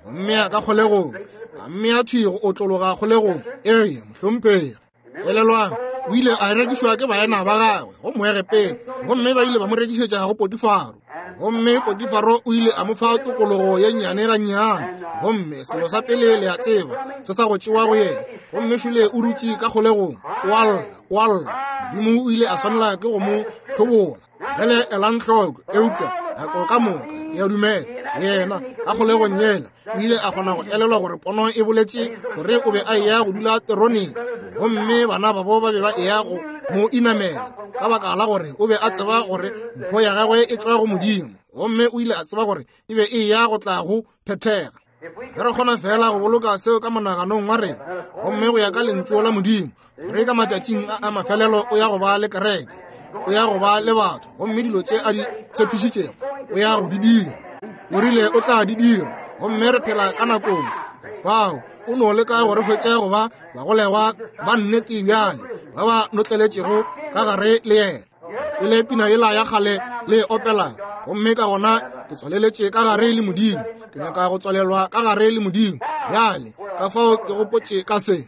Go mmea ka kgolegong, a mmea thwi go otlologa kgolegong. Ee, mohlomphegi. Elelwang, o ile a rekišwa ke baena ba gagwe go Moegepeta, gomme ba ile ba mo rekišetša go Potifaro. Gomme Potifaro o ile a mo fa tokologo ye nnyane gannyane, gomme selo sa pele le a tseba se sa go tšewa go yena. Gomme šole o dutše ka kgolegong, o a lla, o a lla. Modimo o ile a swanela ke go mo hlobola. Bjale elang hloko, eupša nako ka moka ke a dumela yena ka kgolegong yela o ile a kgona go elelwa gore pono e boletše gore o be a eya go dula teroneng, gomme bana babo ba be ba eya go mo inamela, ka baka la gore o be a tseba gore mpho ya gagwe e tšwa go Modimo, gomme o ile a tseba gore e be e ya go tla go phethega. Ge re kgona fela go boloka seo ka monaganong wa rena, gomme go ya ka lentšu la Modimo, gore ka matšatšing a a mafelelo o ya go ba le kereke, o ya go ba le batho, gomme dilo tše a di tshepišitšego o ya go di dira. O rile o tla di dira, gomme re phela ka nakong fao. O no leka gore hwetše go ba bagolegwa ba nnete bjale, ba ba notleletšego ka gare le yena. Pele pina yela ya kgale le opela, gomme ka gona ke tswaleletše ka gare le Modimo. Ke nyaka go tswalelwa ka gare le Modimo bjale, ka fao ke gopotše ka se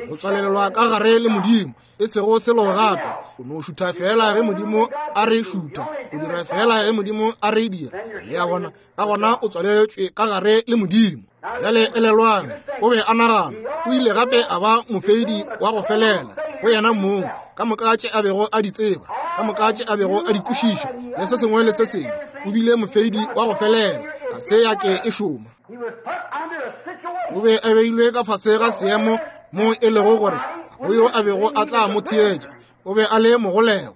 go tswalelwa ka gare le Modimo, e sego selo gape. O no šutha fela ge Modimo a re šutha, o dira fela ge Modimo a re dira. Le a bona? Ka gona o tswaleletšwe ka gare le Modimo. Bjale elelwang, o be a nagana. O ile gape a ba mofeidi wa go felela go yena mong, ka moka tše a bego a di tseba, ka moka tše a bego a di kwešiša, le se sengwe le se sengwe. O bile mofeidi wa go felela, ga se ya ke e šoma. O be a beilwe ka fase ga seemo mo e lego gore go yo a bego a tla mo theetša. O be a le mogolegwa.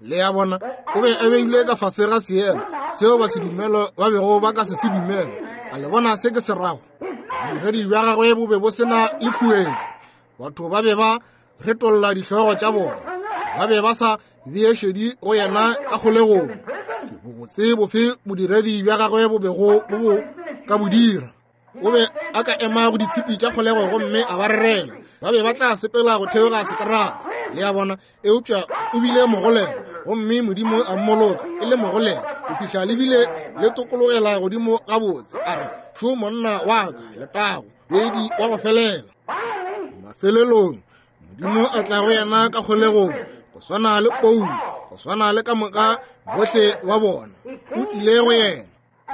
Le a bona? O be a beilwe ka fase ga seemo seo ba se dumelo ba bego ba ka se se dumele. A le bona se ke se rago? Bodiredi bja gagwe bo be bo se na le khuetšo. Batho ba be ba retolla dihlogo tša bona, ba be ba sa bee šedi go yena ka kgolegong. Ke bobotse bofe bodiredi bja gagwe bo bego bo bo ka bo dira? O be a ka ema go ditshipi tša kgolego gomme a ba rerela, ba be ba tla sepela go theoga seterata. Le a bona? Eupša o bile mogolegwa, gomme Modimo a mmoloka e le mogolegwa. go fihla le bile le tokologela godimo gabotse. A re, šo monna wa ka, letago, bedi wa go felela. Mafelelong Modimo a tla go yena ka kgolegong, go swana le Paulo, go swana le ka moka bohle wa bona. O tlile go yena,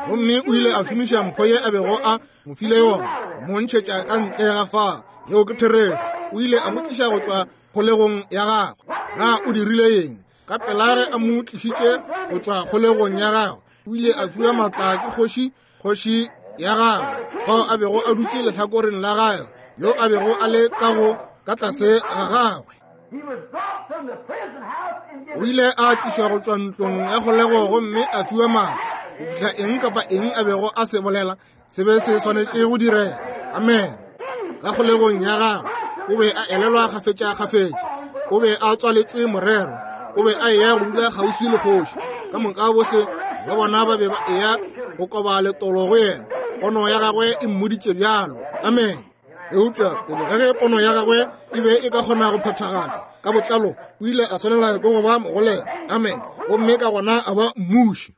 gomme o ile a šomiša mpho ye a bego a mo file yona, mo ntšhetša ka ntle ga fa. Yeo ke therešo. O ile a mo tliša go tšwa kgolegong ya gagwe. Na o dirile eng? Ka pela ge a mo tlišitše go tšwa kgolegong ya gagwe, o ile a fiwa maatla ke kgoši, kgoši ya gagwe, bao a bego a dutše lehlakoreng la gagwe, yo a bego a le ka go ka tlase ga gagwe. O ile a tlišwa go tšwa ntlong ya kgolego gomme a fiwa maatla go fihla eng kapa eng a bego a se bolela se be se swanetše go direga. Amen. Ka kgolegong ya gagwe o be a elelwa kgafetša-kgafetša. O be a tswaletšwe morero. O be a eya go dula kgauswi le kgoši. Ka moka bohle ba bona ba be ba eya go koba letolo go yena. Pono ya gagwe e mmoditše bjalo. Amen. Eupša pele ga ge pono ya gagwe e be e ka kgona go phethagatšwa ka botlalo, o ile a swanela ke go ba mogolega. Amen. Gomme ka gona a ba mmuši.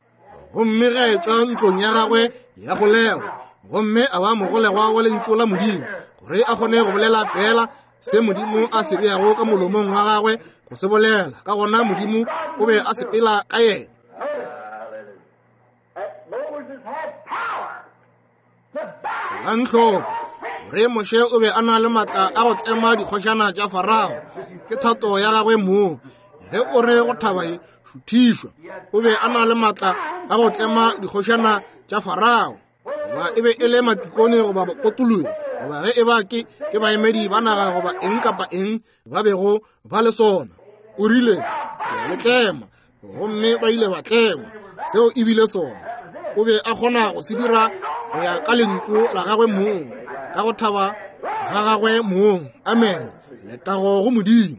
Gomme ge a etšwa ntlong ya gagwe ya kgolego, gomme a ba mogolegwa wa lentšu la Modimo, gore a kgone go bolela fela se Modimo a se beago ka molomong wa gagwe go se bolela. Ka gona Modimo o be a sepela ka yena. Elang hloko gore Moshe o be a na le maatla a go tlema dikgošana tša Farao. Ke thato ya gagwe mong. Ge o re go thaba ye, šuthišwa. O be a na le maatla a go tlema dikgošana tša Farao. Goba e be e le matikone goba bakotologi, goba ge e ba ke ke baemedi ba naga goba eng kapa eng ba bego ba le sona. O rile, ke a le tlema, gomme ba ile ba tlengwa. Seo e bile sona. O be a kgona go se dira go ya ka lentšu la gagwe mong, ka go thaba ga gagwe mong. Amen. Letago go Modimo.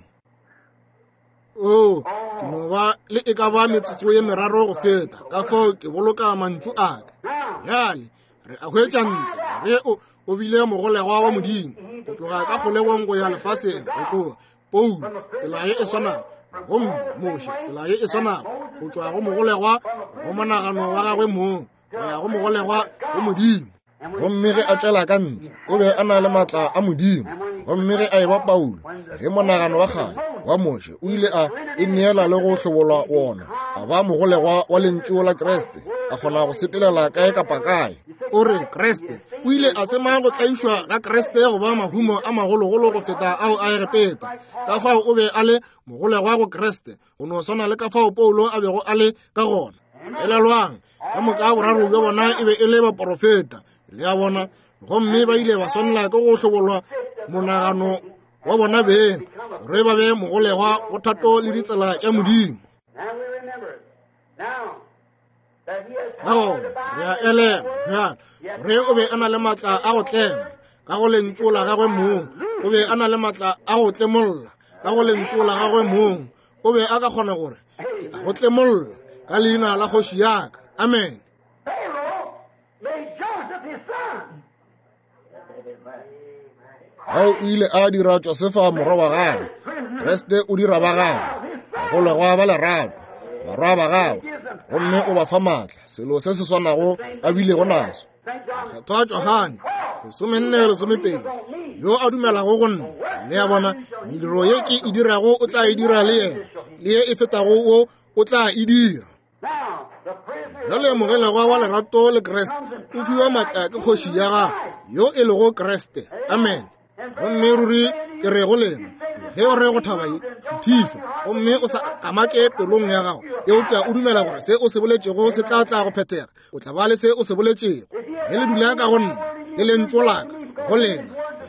O, ke no ba le e ka ba metsotso ye meraro go feta, ka fao ke boloka mantšu a ka. Bjale re a hwetša ntle re o o bile mogolegwa wa Modimo go tloga ka kgolegong go ya lefaseng, go tloga Paulo tsela ye e swanago, gomme Moshe tsela ye e swanago, go tšwa go mogolegwa go monagano wa gagwe mong go ya go mogolegwa go Modimo. Gomme ge a tšwela ka ntle, o be a na le maatla a Modimo. Gomme ge a eba Paulo, ge monagano wa kgale wa Moshe o ile a ineela le go hlobolwa wona, a ba mogolegwa wa lentšu la Kriste, a kgona go sepelela kae kapa kae. O re Kriste o ile a sema go tlaišwa ga Kriste go ba mahumo a magologolo go feta ao a Egepeta. Ka fao o be a le mogolegwa go Kriste, go no swana le ka fao Paulo a bego a le ka gona. Elelwang, ka moka boraro bja bona e be e le baporofeta, le a bona, gomme ba ile ba swanela ke go hlobolwa monagano wa bona beng gore ba be mogolegwa go thato le ditsela tša Modimo. Ka gona re a elelwa bjale gore o be a na le maatla a go tlema ka go lentšu la gagwe mong. O be a na le maatla a go tlemolla ka go lentšu la gagwe mong. O be a ka kgona gore ke a go tlemolla ka leina la kgoši ya ka. Amen. Ao o ile a dira Josefa morwa wa gagwe. Kriste o dira ba gagwe bagolegwa ba lerato, barwa ba gagwe, gomme o ba fa maatla, selo se se swanago a bilego naso. Mokgethwa Johane lesomenne lesomepedi, yo a dumelago go nna, le a bona, mediro ye ke e dirago o tla e dira le yena, le ye e fetago wo o tla e dira. Bjale mogolegwa wa lerato le Kriste o fiwa maatla ke kgoši ya gagwe, yo e lego Kriste. Amen. Gomme ruri ke re go lena, ge o re go thaba ye, šuthišwa, gomme o sa kamake pelong ya gago, eupša o dumela gore se o se boletšego se tla tla go phethega, o tla ba le se o se boletšego. Ge le dula ka go nna, le lentšu la ka go lena,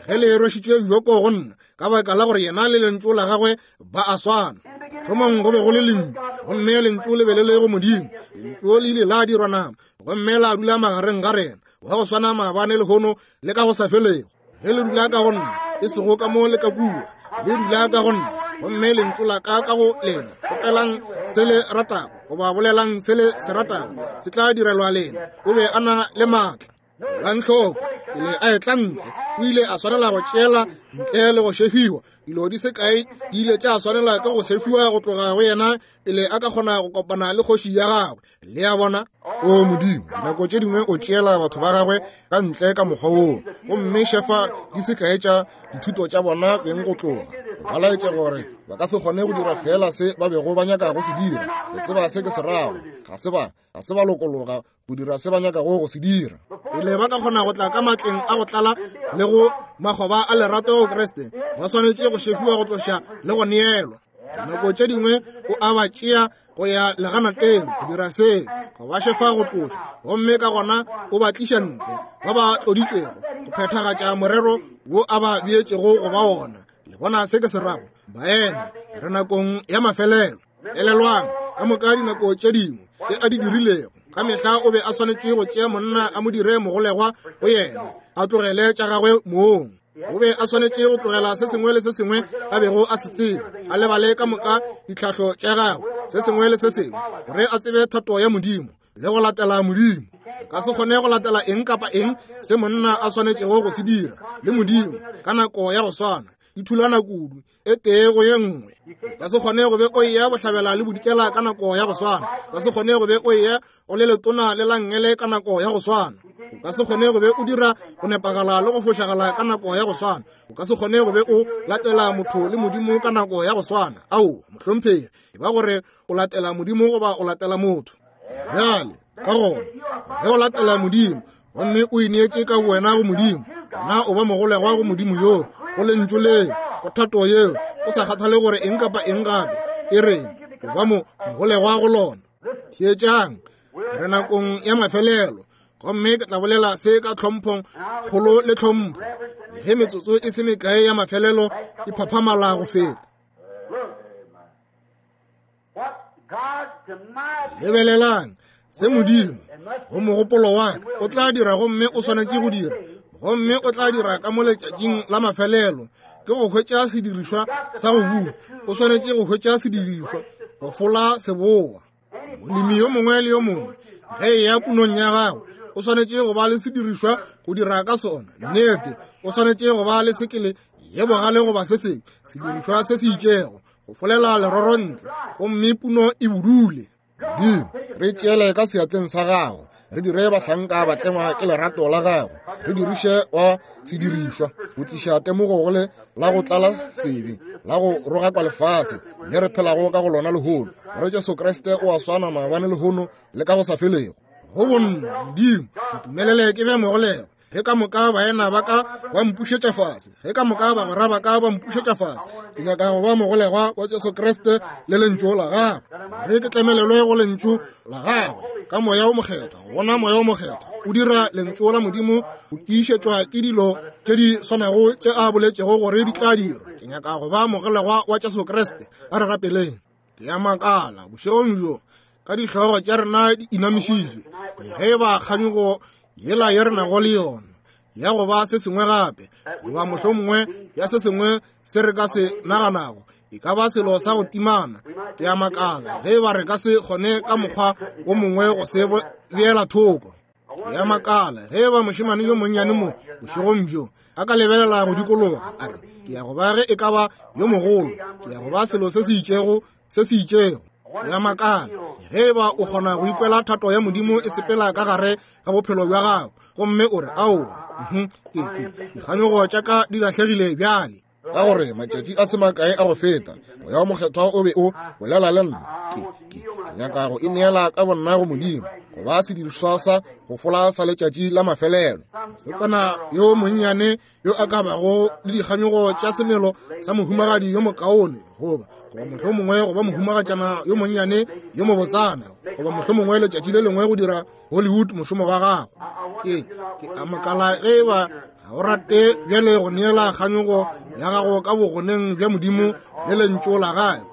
ge le rwešitšwe bjoko go nna, ka baka la gore yena le lentšu la gagwe ba a swana. Thomong go be go le lentšu, gomme lentšu le be le le go Modimo. Lentšu le ile la dirwa nama, gomme la dula magareng ga rena, wa go swana maabane lehono le ka go sa felego. Ge le dula ka go nna, e sego ka mo le ka kua, le dula ka go nna, gomme lentšu la ka ka go lena, kgopelang se le ratago goba bolelang se le se ratago, se tla direlwa lena. O be a na le maatla. Elang hloko, Pele a etla ntle, o ile a swanela go tšeela ntle le go šefiwa. Dilo di se kae di ile tša swanela ke go sefiwa go tloga go yena pele a ka kgona go kopana le kgoši ya gagwe. Le a bona? O Modimo, dinako tše dingwe o tšeela batho ba gagwe ka ntle ka mokgwa woo, gomme šefa di se kae tša dithuto tša bona beng go tloga. Ba laetše gore ba ka se kgone go dira fela se ba bego ba nyaka go se dira. Le tseba se ke se rago. Ga se ba, ga se ba lokologa go dira se ba nyakago go se dira. Pele ba ka kgona go tla ka matleng a go tlala le go makgoba a lerato go Kriste, ba swanetše go šefiwa go tloša le go neelwa. Dinako tše dingwe o a ba tšea go ya leganateng go dira se, go ba šefa go tloša, gomme ka gona o ba tliša ntle ba ba tloditšwego go phethagatša morero wo a ba beetšego go ba wona. Le bona se ke se rago? Baena, re nakong ya mafelelo. Elelwang, ka moka dinako tše dingwe tše a di dirilego, ka mehla o be a swanetše go tšea monna a mo dire mogolegwa go yena, a tlogele tša gagwe mong. O be a swanetše go tlogela se sengwe le se sengwe a bego a se tseba, a lebale ka moka ditlhahlo tša gagwe, se sengwe le se sengwe, gore a tsebe thato ya Modimo le go latela Modimo. Ka se kgone go latela eng kapa eng se monna a swanetšego go se dira le Modimo ka nako ya go swana. Di thulana kudu e tee go ye nngwe. Ka se kgone go be o eya bohlabela le bodikela ka nako ya go swana. Ka se kgone go be o eya o le letona le langele ka nako ya go swana. O ka se kgone go be o dira go nepagala le go fošagala ka nako ya go swana. O ka se kgone go be o latela motho le Modimo ka nako ya go swana. Ao, mohlomphegi, e ba gore o latela Modimo goba o latela motho. Bjale, ka gona, ge o latela Modimo, gomme o ineetše ka wena go Modimo, gona o ba mogolegwa go Modimo yoo, go lentšu leo, go thato yeo, o sa kgathale gore eng kapa eng gape e reng, o ba mo mogolegwa go lona. Theetšang, re nakong ya mafelelo, gomme ke tla bolela se ka tlhomphong kgolo le tlhompho, ge metsotso e se mekae ya mafelelo e phaphamala go feta. Lebelelang se Modimo go mogopolo wa ka o tla dira, gomme o swanetše go dira, gomme o tla dira ka mo letšatšing la mafelelo, ke go hwetša sedirišwa sa go buna. O swanetše go hwetša sedirišwa go fola seboa. Molemi yo mongwe le yo mongwe ge e ya punong ya gagwe o swanetše go ba le sedirišwa go dira ka sona. Nnete, o swanetše go ba le sekele ye bogale goba se sengwe, sedirišwa se se itšego go folela leroro ntle, gomme puno e budule. Modimo, re tšeele ka seatleng sa gago, re dire bahlanka ba tlengwa ke lerato la gago, re diriše wa sedirišwa go tliša temogo go le la go tlala sebe, la go rogakwa lefatshe le re phelago ka go lona lehono. Gore Jesu Kriste o a swana maabane lehono le ka go sa felego. Go bonna, Modimo, ntumelele ke be mogolegwa. Ge ka moka baena ba ka ba mpušetša fase, ge ka moka bagwera ba ka ba mpušetša fase, ke nyaka go ba mogolegwa wa Jesu Kriste le lentšu la gagwe. Re ke tlemelelwe go lentšu la gagwe ka moya o mokgethwa, go bona moya o mokgethwa o dira lentšu la Modimo go tiišetšwa ke dilo tše di swanago tše a boletšego gore di tla dirwa. Ke nyaka go ba mogolegwa wa Jesu Kriste. A re rapeleng. Ke a makala bošegong bjo ka dihlogo tša rena di inamišitšwe, ge ba kganyogo yela ye re nago le yona ya go ba se sengwe gape, goba mohlomongwe ya se sengwe se re ka se naganago, e ka ba selo sa go timana. Ke a makala ge ba re ka se kgone ka mokgwa wo mongwe go se beela thoko. Ke a makala ge ba mošemane yo monnyane mo bošegong bjo a ka lebelela go dikologa a re, ke ya go ba ge e ka ba yo mogolo, ke ya go ba selo se se itšego se se itšego. Ke a makala ge ba o kgona go ikwela thato ya Modimo e sepela ka gare ga bophelo bja gago, gomme o re, aowa, ke ke dikganyogo tša ka di lahlegile bjale. Ka gore matšatši a se makae a go feta, moya o mokgethwa o be o bolela le nna. Ke ke ke nyaka go ineela ka bonna go Modimo, go ba sedirišwa sa go fola sa letšatši la mafelelo. Setsana yo monnyane yo a ka bago le dikganyogo tša semelo sa mohumagadi yo mokaone, goba goba mohlomongwe goba mohumagatšana yo monnyane yo mobotsana, goba mohlomongwe letšatši le lengwe go dira Hollywood mošomo wa gago. Ke ke a makala ge ba ga o rate bjale go neela kganyogo ya gago ka bogoneng bja Modimo le lentšu la gagwe,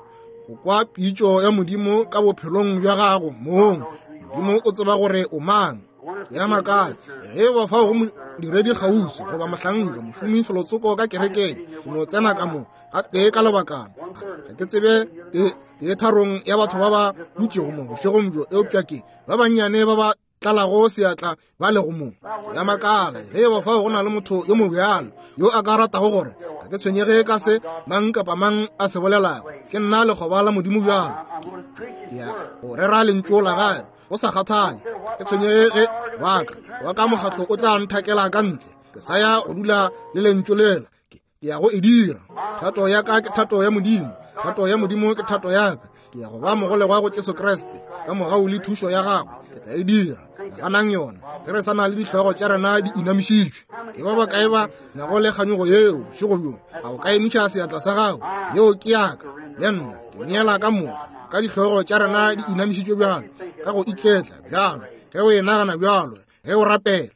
go kwa pitšo ya Modimo ka bophelong bja gago mong. Modimo o tseba gore o mang. Ke a makala ge ba fao go modiredi kgauswi goba mohlanka mošomi felotsoko ka kerekeng, go no tsena ka mo ga tee ka lebakana. Ga ke tsebe tee tharong ya batho ba ba dutšego mo bošegong bjo, eupša ke ba bannyane ba ba tlalago seatla ba lego mo. Ya makala ge ba fao go na le motho yo mobjalo yo a ka ratago gore ga ke tshwenyege ka se mang kapa mang a se bolelago, ke nna lekgoba la Modimo bjalo, ke ya go rera lentšu la gagwe go sa kgathale. Ke tshwenyege ge waka wa ka mokgatlo o tla nthakela ka ntle, ke sa ya go dula le lentšu lela, ke ya go e dira. Thato ya ka ke thato ya Modimo, thato ya Modimo ke thato ya ka. Ke ya go ba mogolegwa go Jesu Kriste ka mogau le thušo ya gagwe, ke tla e dira. Naganang yona ge re sa na le dihlogo tša rena di inamišitšwe. Ke ba bakae ba nago le kganyogo yeo bošego bjo? A o ka emiša seatla sa gago? Yeo ke yaka le nna, ke neela ka moka. Ka dihlogo tša rena di inamišitšwe bjalo, ka go iketla bjalo, ge o e nagana bjalo, ge o rapela.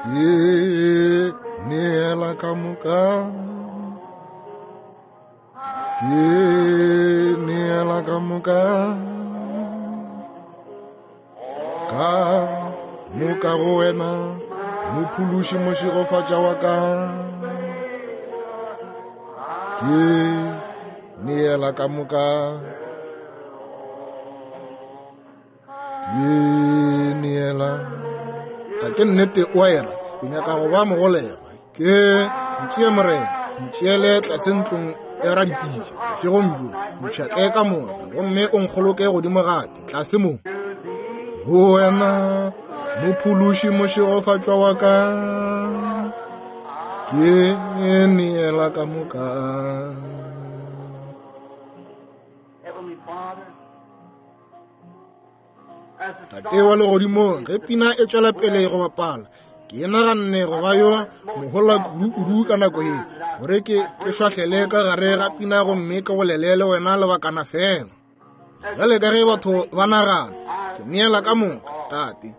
Ke neela ka moka, ke neela ka moka, ka moka go wena mophološi mošegofatša wa ka. Ke neela ka moka, ke neela. A ke nnete o a era, ke nyaka go ba mogolegwa. Ke ntšee Morena, ntšeele tlase ntlong e radipitša bošegong bjo, mpšhatle ka moka gomme o nkgoloke godimo gape tlase mo. Go wena mophološi mošegofatšwa wa ka, ke neela ka moka. Tate wa legodimong, ge pina e tšwela pele go bapala, ke naganne go ba yo mohola kudu-kudu ka nako ye gore ke ke šwahlele ka gare ga pina gomme ke bolele le wena lebakana fela. Bjale ka ge batho ba nagana, ke neela ka moka. Tate,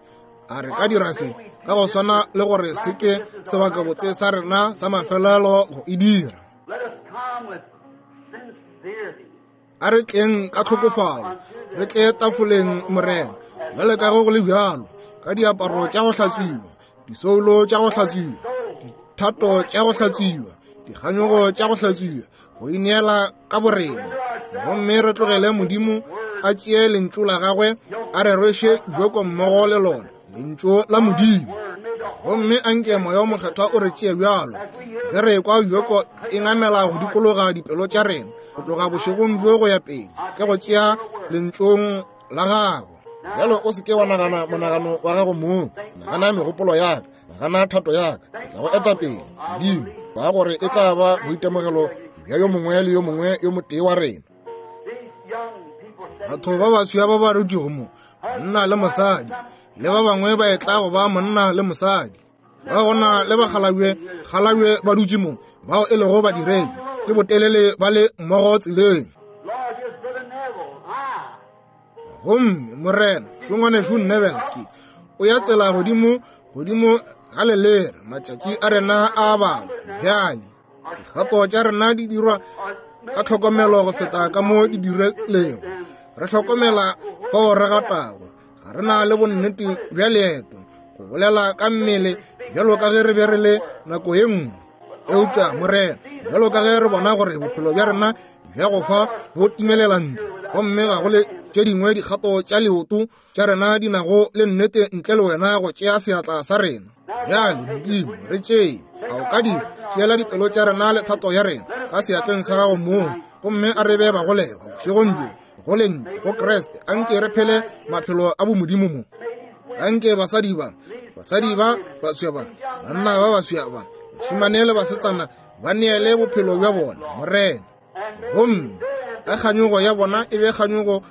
a re ka dira se ka go swana le gore se ke sebakabotse sa rena sa mafelelo go e dira. A re tleng ka tlhokofalo, re tle tafoleng Morena, bjale ka ge go le bjalo, ka diaparo tša go hlatswiwa, disoulo tša go hlatswiwa, dithato tša go hlatswiwa, dikganyogo tša go hlatswiwa, go ineela ka borena. Gomme re tlogele Modimo a tšee lentšu la gagwe a re rweše joko mmogo le lona, lentšu la Modimo. Gomme anke Moya o Mokgethwa o re tšee bjalo ge re ekwa joko e ngamela go dikologa dipelo tša rena go tloga bošegong bjo go ya pele, ke go tšea lentšong la gago. Bjalo o se ke wa nagana monagano wa gago mong, nagana megopolo ya ka, nagana thato ya ka, ke tla go eta pele Modimo, ba gore e tla ba boitemogelo bja yo mongwe le yo mongwe yo motee wa rena. Batho ba baswa ba ba dutšego mo, monna le mosadi, le ba bangwe ba etla go ba monna le mosadi. Ba gona le bakgalabje kgalabje ba dutše mo, bao e lego badiredi, ke botelele ba le mmogo tseleng. Gomme Morena šongwanešu Neville ke o ya tsela godimo godimo ga lelere, matšatši a rena a balwa bjale. Dikgato tša rena di dirwa ka tlhokomelo go feta ka mo di dirilego. Re hlokomela fao re gatago, ga re na le bonnete bja leeto go bolela ka mmele bjalo ka ge re be re le nako ye nngwe. Eupša Morena, bjalo ka ge re bona gore bophelo bja rena bja go hwa bo timelela ntle, gomme ga go le tše dingwe dikgato tša leoto tša rena di nago le nnete ntle le wena go tšea seatla sa rena. Bjale Modimo, re tšee, a o ka dira, tšeela dipelo tša rena le thato ya rena ka seatleng sa gago mong, gomme a re be bagolegwa bošegong bjo go lentšu go Kriste. Anke re phele maphelo a bomodimo mo. Anke basadi ba, basadi ba baswa ba, banna ba baswa ba, bašemane le basetsana ba neele bophelo bja bona Morena. Gomme ka kganyogo ya bona e be kganyogo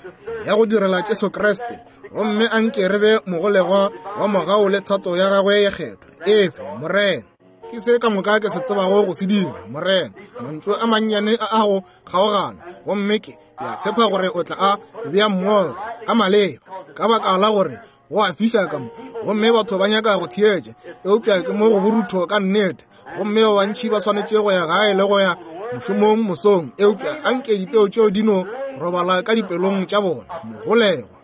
ya go direla Jesu Kriste, gomme anke re be mogolegwa wa mogau le thato ya gagwe ye kgethwa. Efe Morena, ke se ka moka ke se tsebago go se dira Morena. Mantšu a mannyane a a go kgaogana, gomme ke a tshepa gore o tla a bea mmogo ka maleba, ka baka la gore go a fiša ka mo, gomme batho ba nyaka go theetša, eupša ke mo go borutho ka nnete, gomme ba bantši ba swanetše go ya gae le go ya mošomong mosong, eupša anke dipeo tšeo di no robala ka dipelong tša bona. Mogolegwa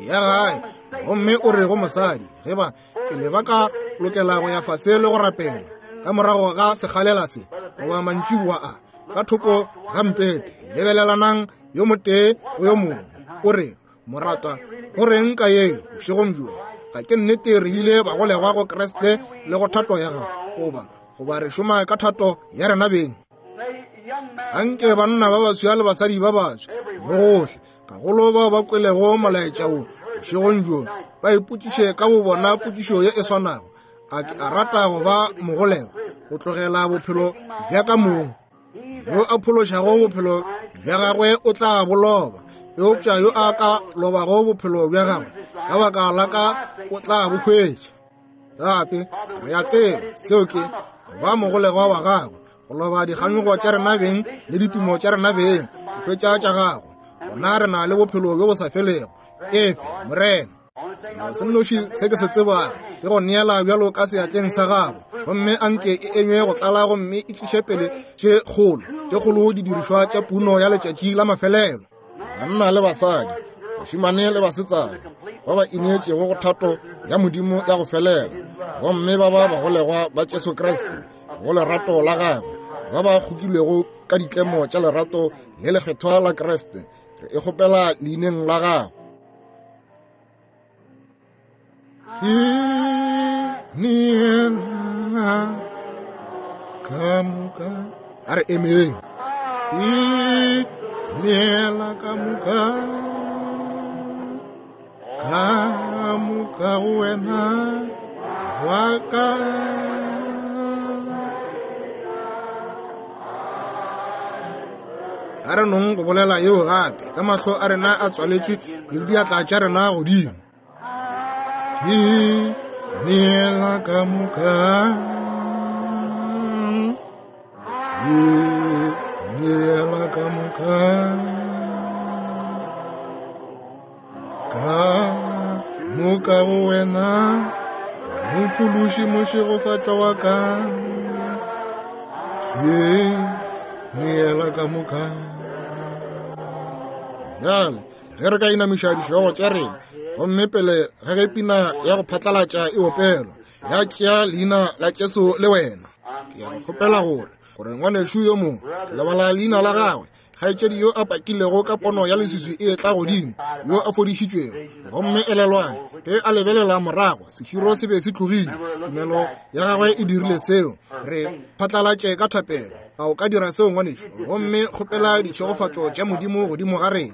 ya gae, gomme o re go mosadi, ge ba pele ba ka lokela go ya fase le go rapela ka morago ga sekgalela se goba mantšiboa a ka thoko ga mpete, lebelelanang yo motee go yo mongwe, o re, moratwa, go reng ka yeo bošegong bjo? A ke nnete re bile bagolegwa go Kriste le go thato ya gago, goba goba re šoma ka thato ya rena beng? Anke banna ba baswa le basadi ba baswa bohle, gagolo bao ba kwelego molaetša wo bošegong bjo, ba ipotšiše ka bobona potšišo ye e swanago. A ke a rata go ba mogolegwa, go tlogela bophelo bja ka mong? Yo a phološago bophelo bja gagwe o tla bo loba, eupša yo a ka lobago bophelo bja gagwe ka baka la ka o tla bo hwetša. Tate, re a tseba seo ke go ba mogolegwa wa gago, go loba dikganyogo tša rena beng le ditumo tša rena beng, go hwetša tša gago. Gona re na le bophelo bjo bo sa felego. Efe, Morena. Selo se nnoši se ke se tsebago ke go neela bjalo ka seatleng sa gago, gomme anke e enywe go tlala gomme e tliše pele tše kgolo tše kgolo didirišwa tša puno ya letšatši la mafelelo. Banna le basadi, bašemane le basetsana ba ba ineetšego go thato ya Modimo ya go felela, gomme ba ba bagolegwa ba Jesu Kriste go lerato la gagwe, ba ba kgokilwego ka ditlemo tša lerato le lekgethwa la Kriste, re e kgopela leineng la gago. Ke neela ka moka. A re emeng. Ke neela ka moka, ka moka go wena wa ka. A re nong go bolela yeo gape ka mahlo a rena a tswaletšwe le diatla tša rena godimo. Ke neela ka moka, ke neela ka moka, ka moka go wena, mophološi mošegofatšwa wa ka. Ke neela ka moka. Bjale ge re ka inamiša dihlogo tša rena, gomme pele ge ge pina ya go phatlalatša e opelwa, ya tšea leina la Jesu le wena, ke ya go kgopela gore gore ngwanešu yo mongwe, ke lebala leina la gagwe, kgaetšedi yo a pakilego ka pono ya leswiswi e etla godimo, yo a fodišitšwego, gomme elelwang ge a lebelela morago, seširo se be se tlogile. Tumelo ya gagwe e dirile seo. Re phatlalatše ka thapelo. A o ka dira seo, ngwanešu? Gomme kgopela ditšhegofatšo tša Modimo godimo ga rena.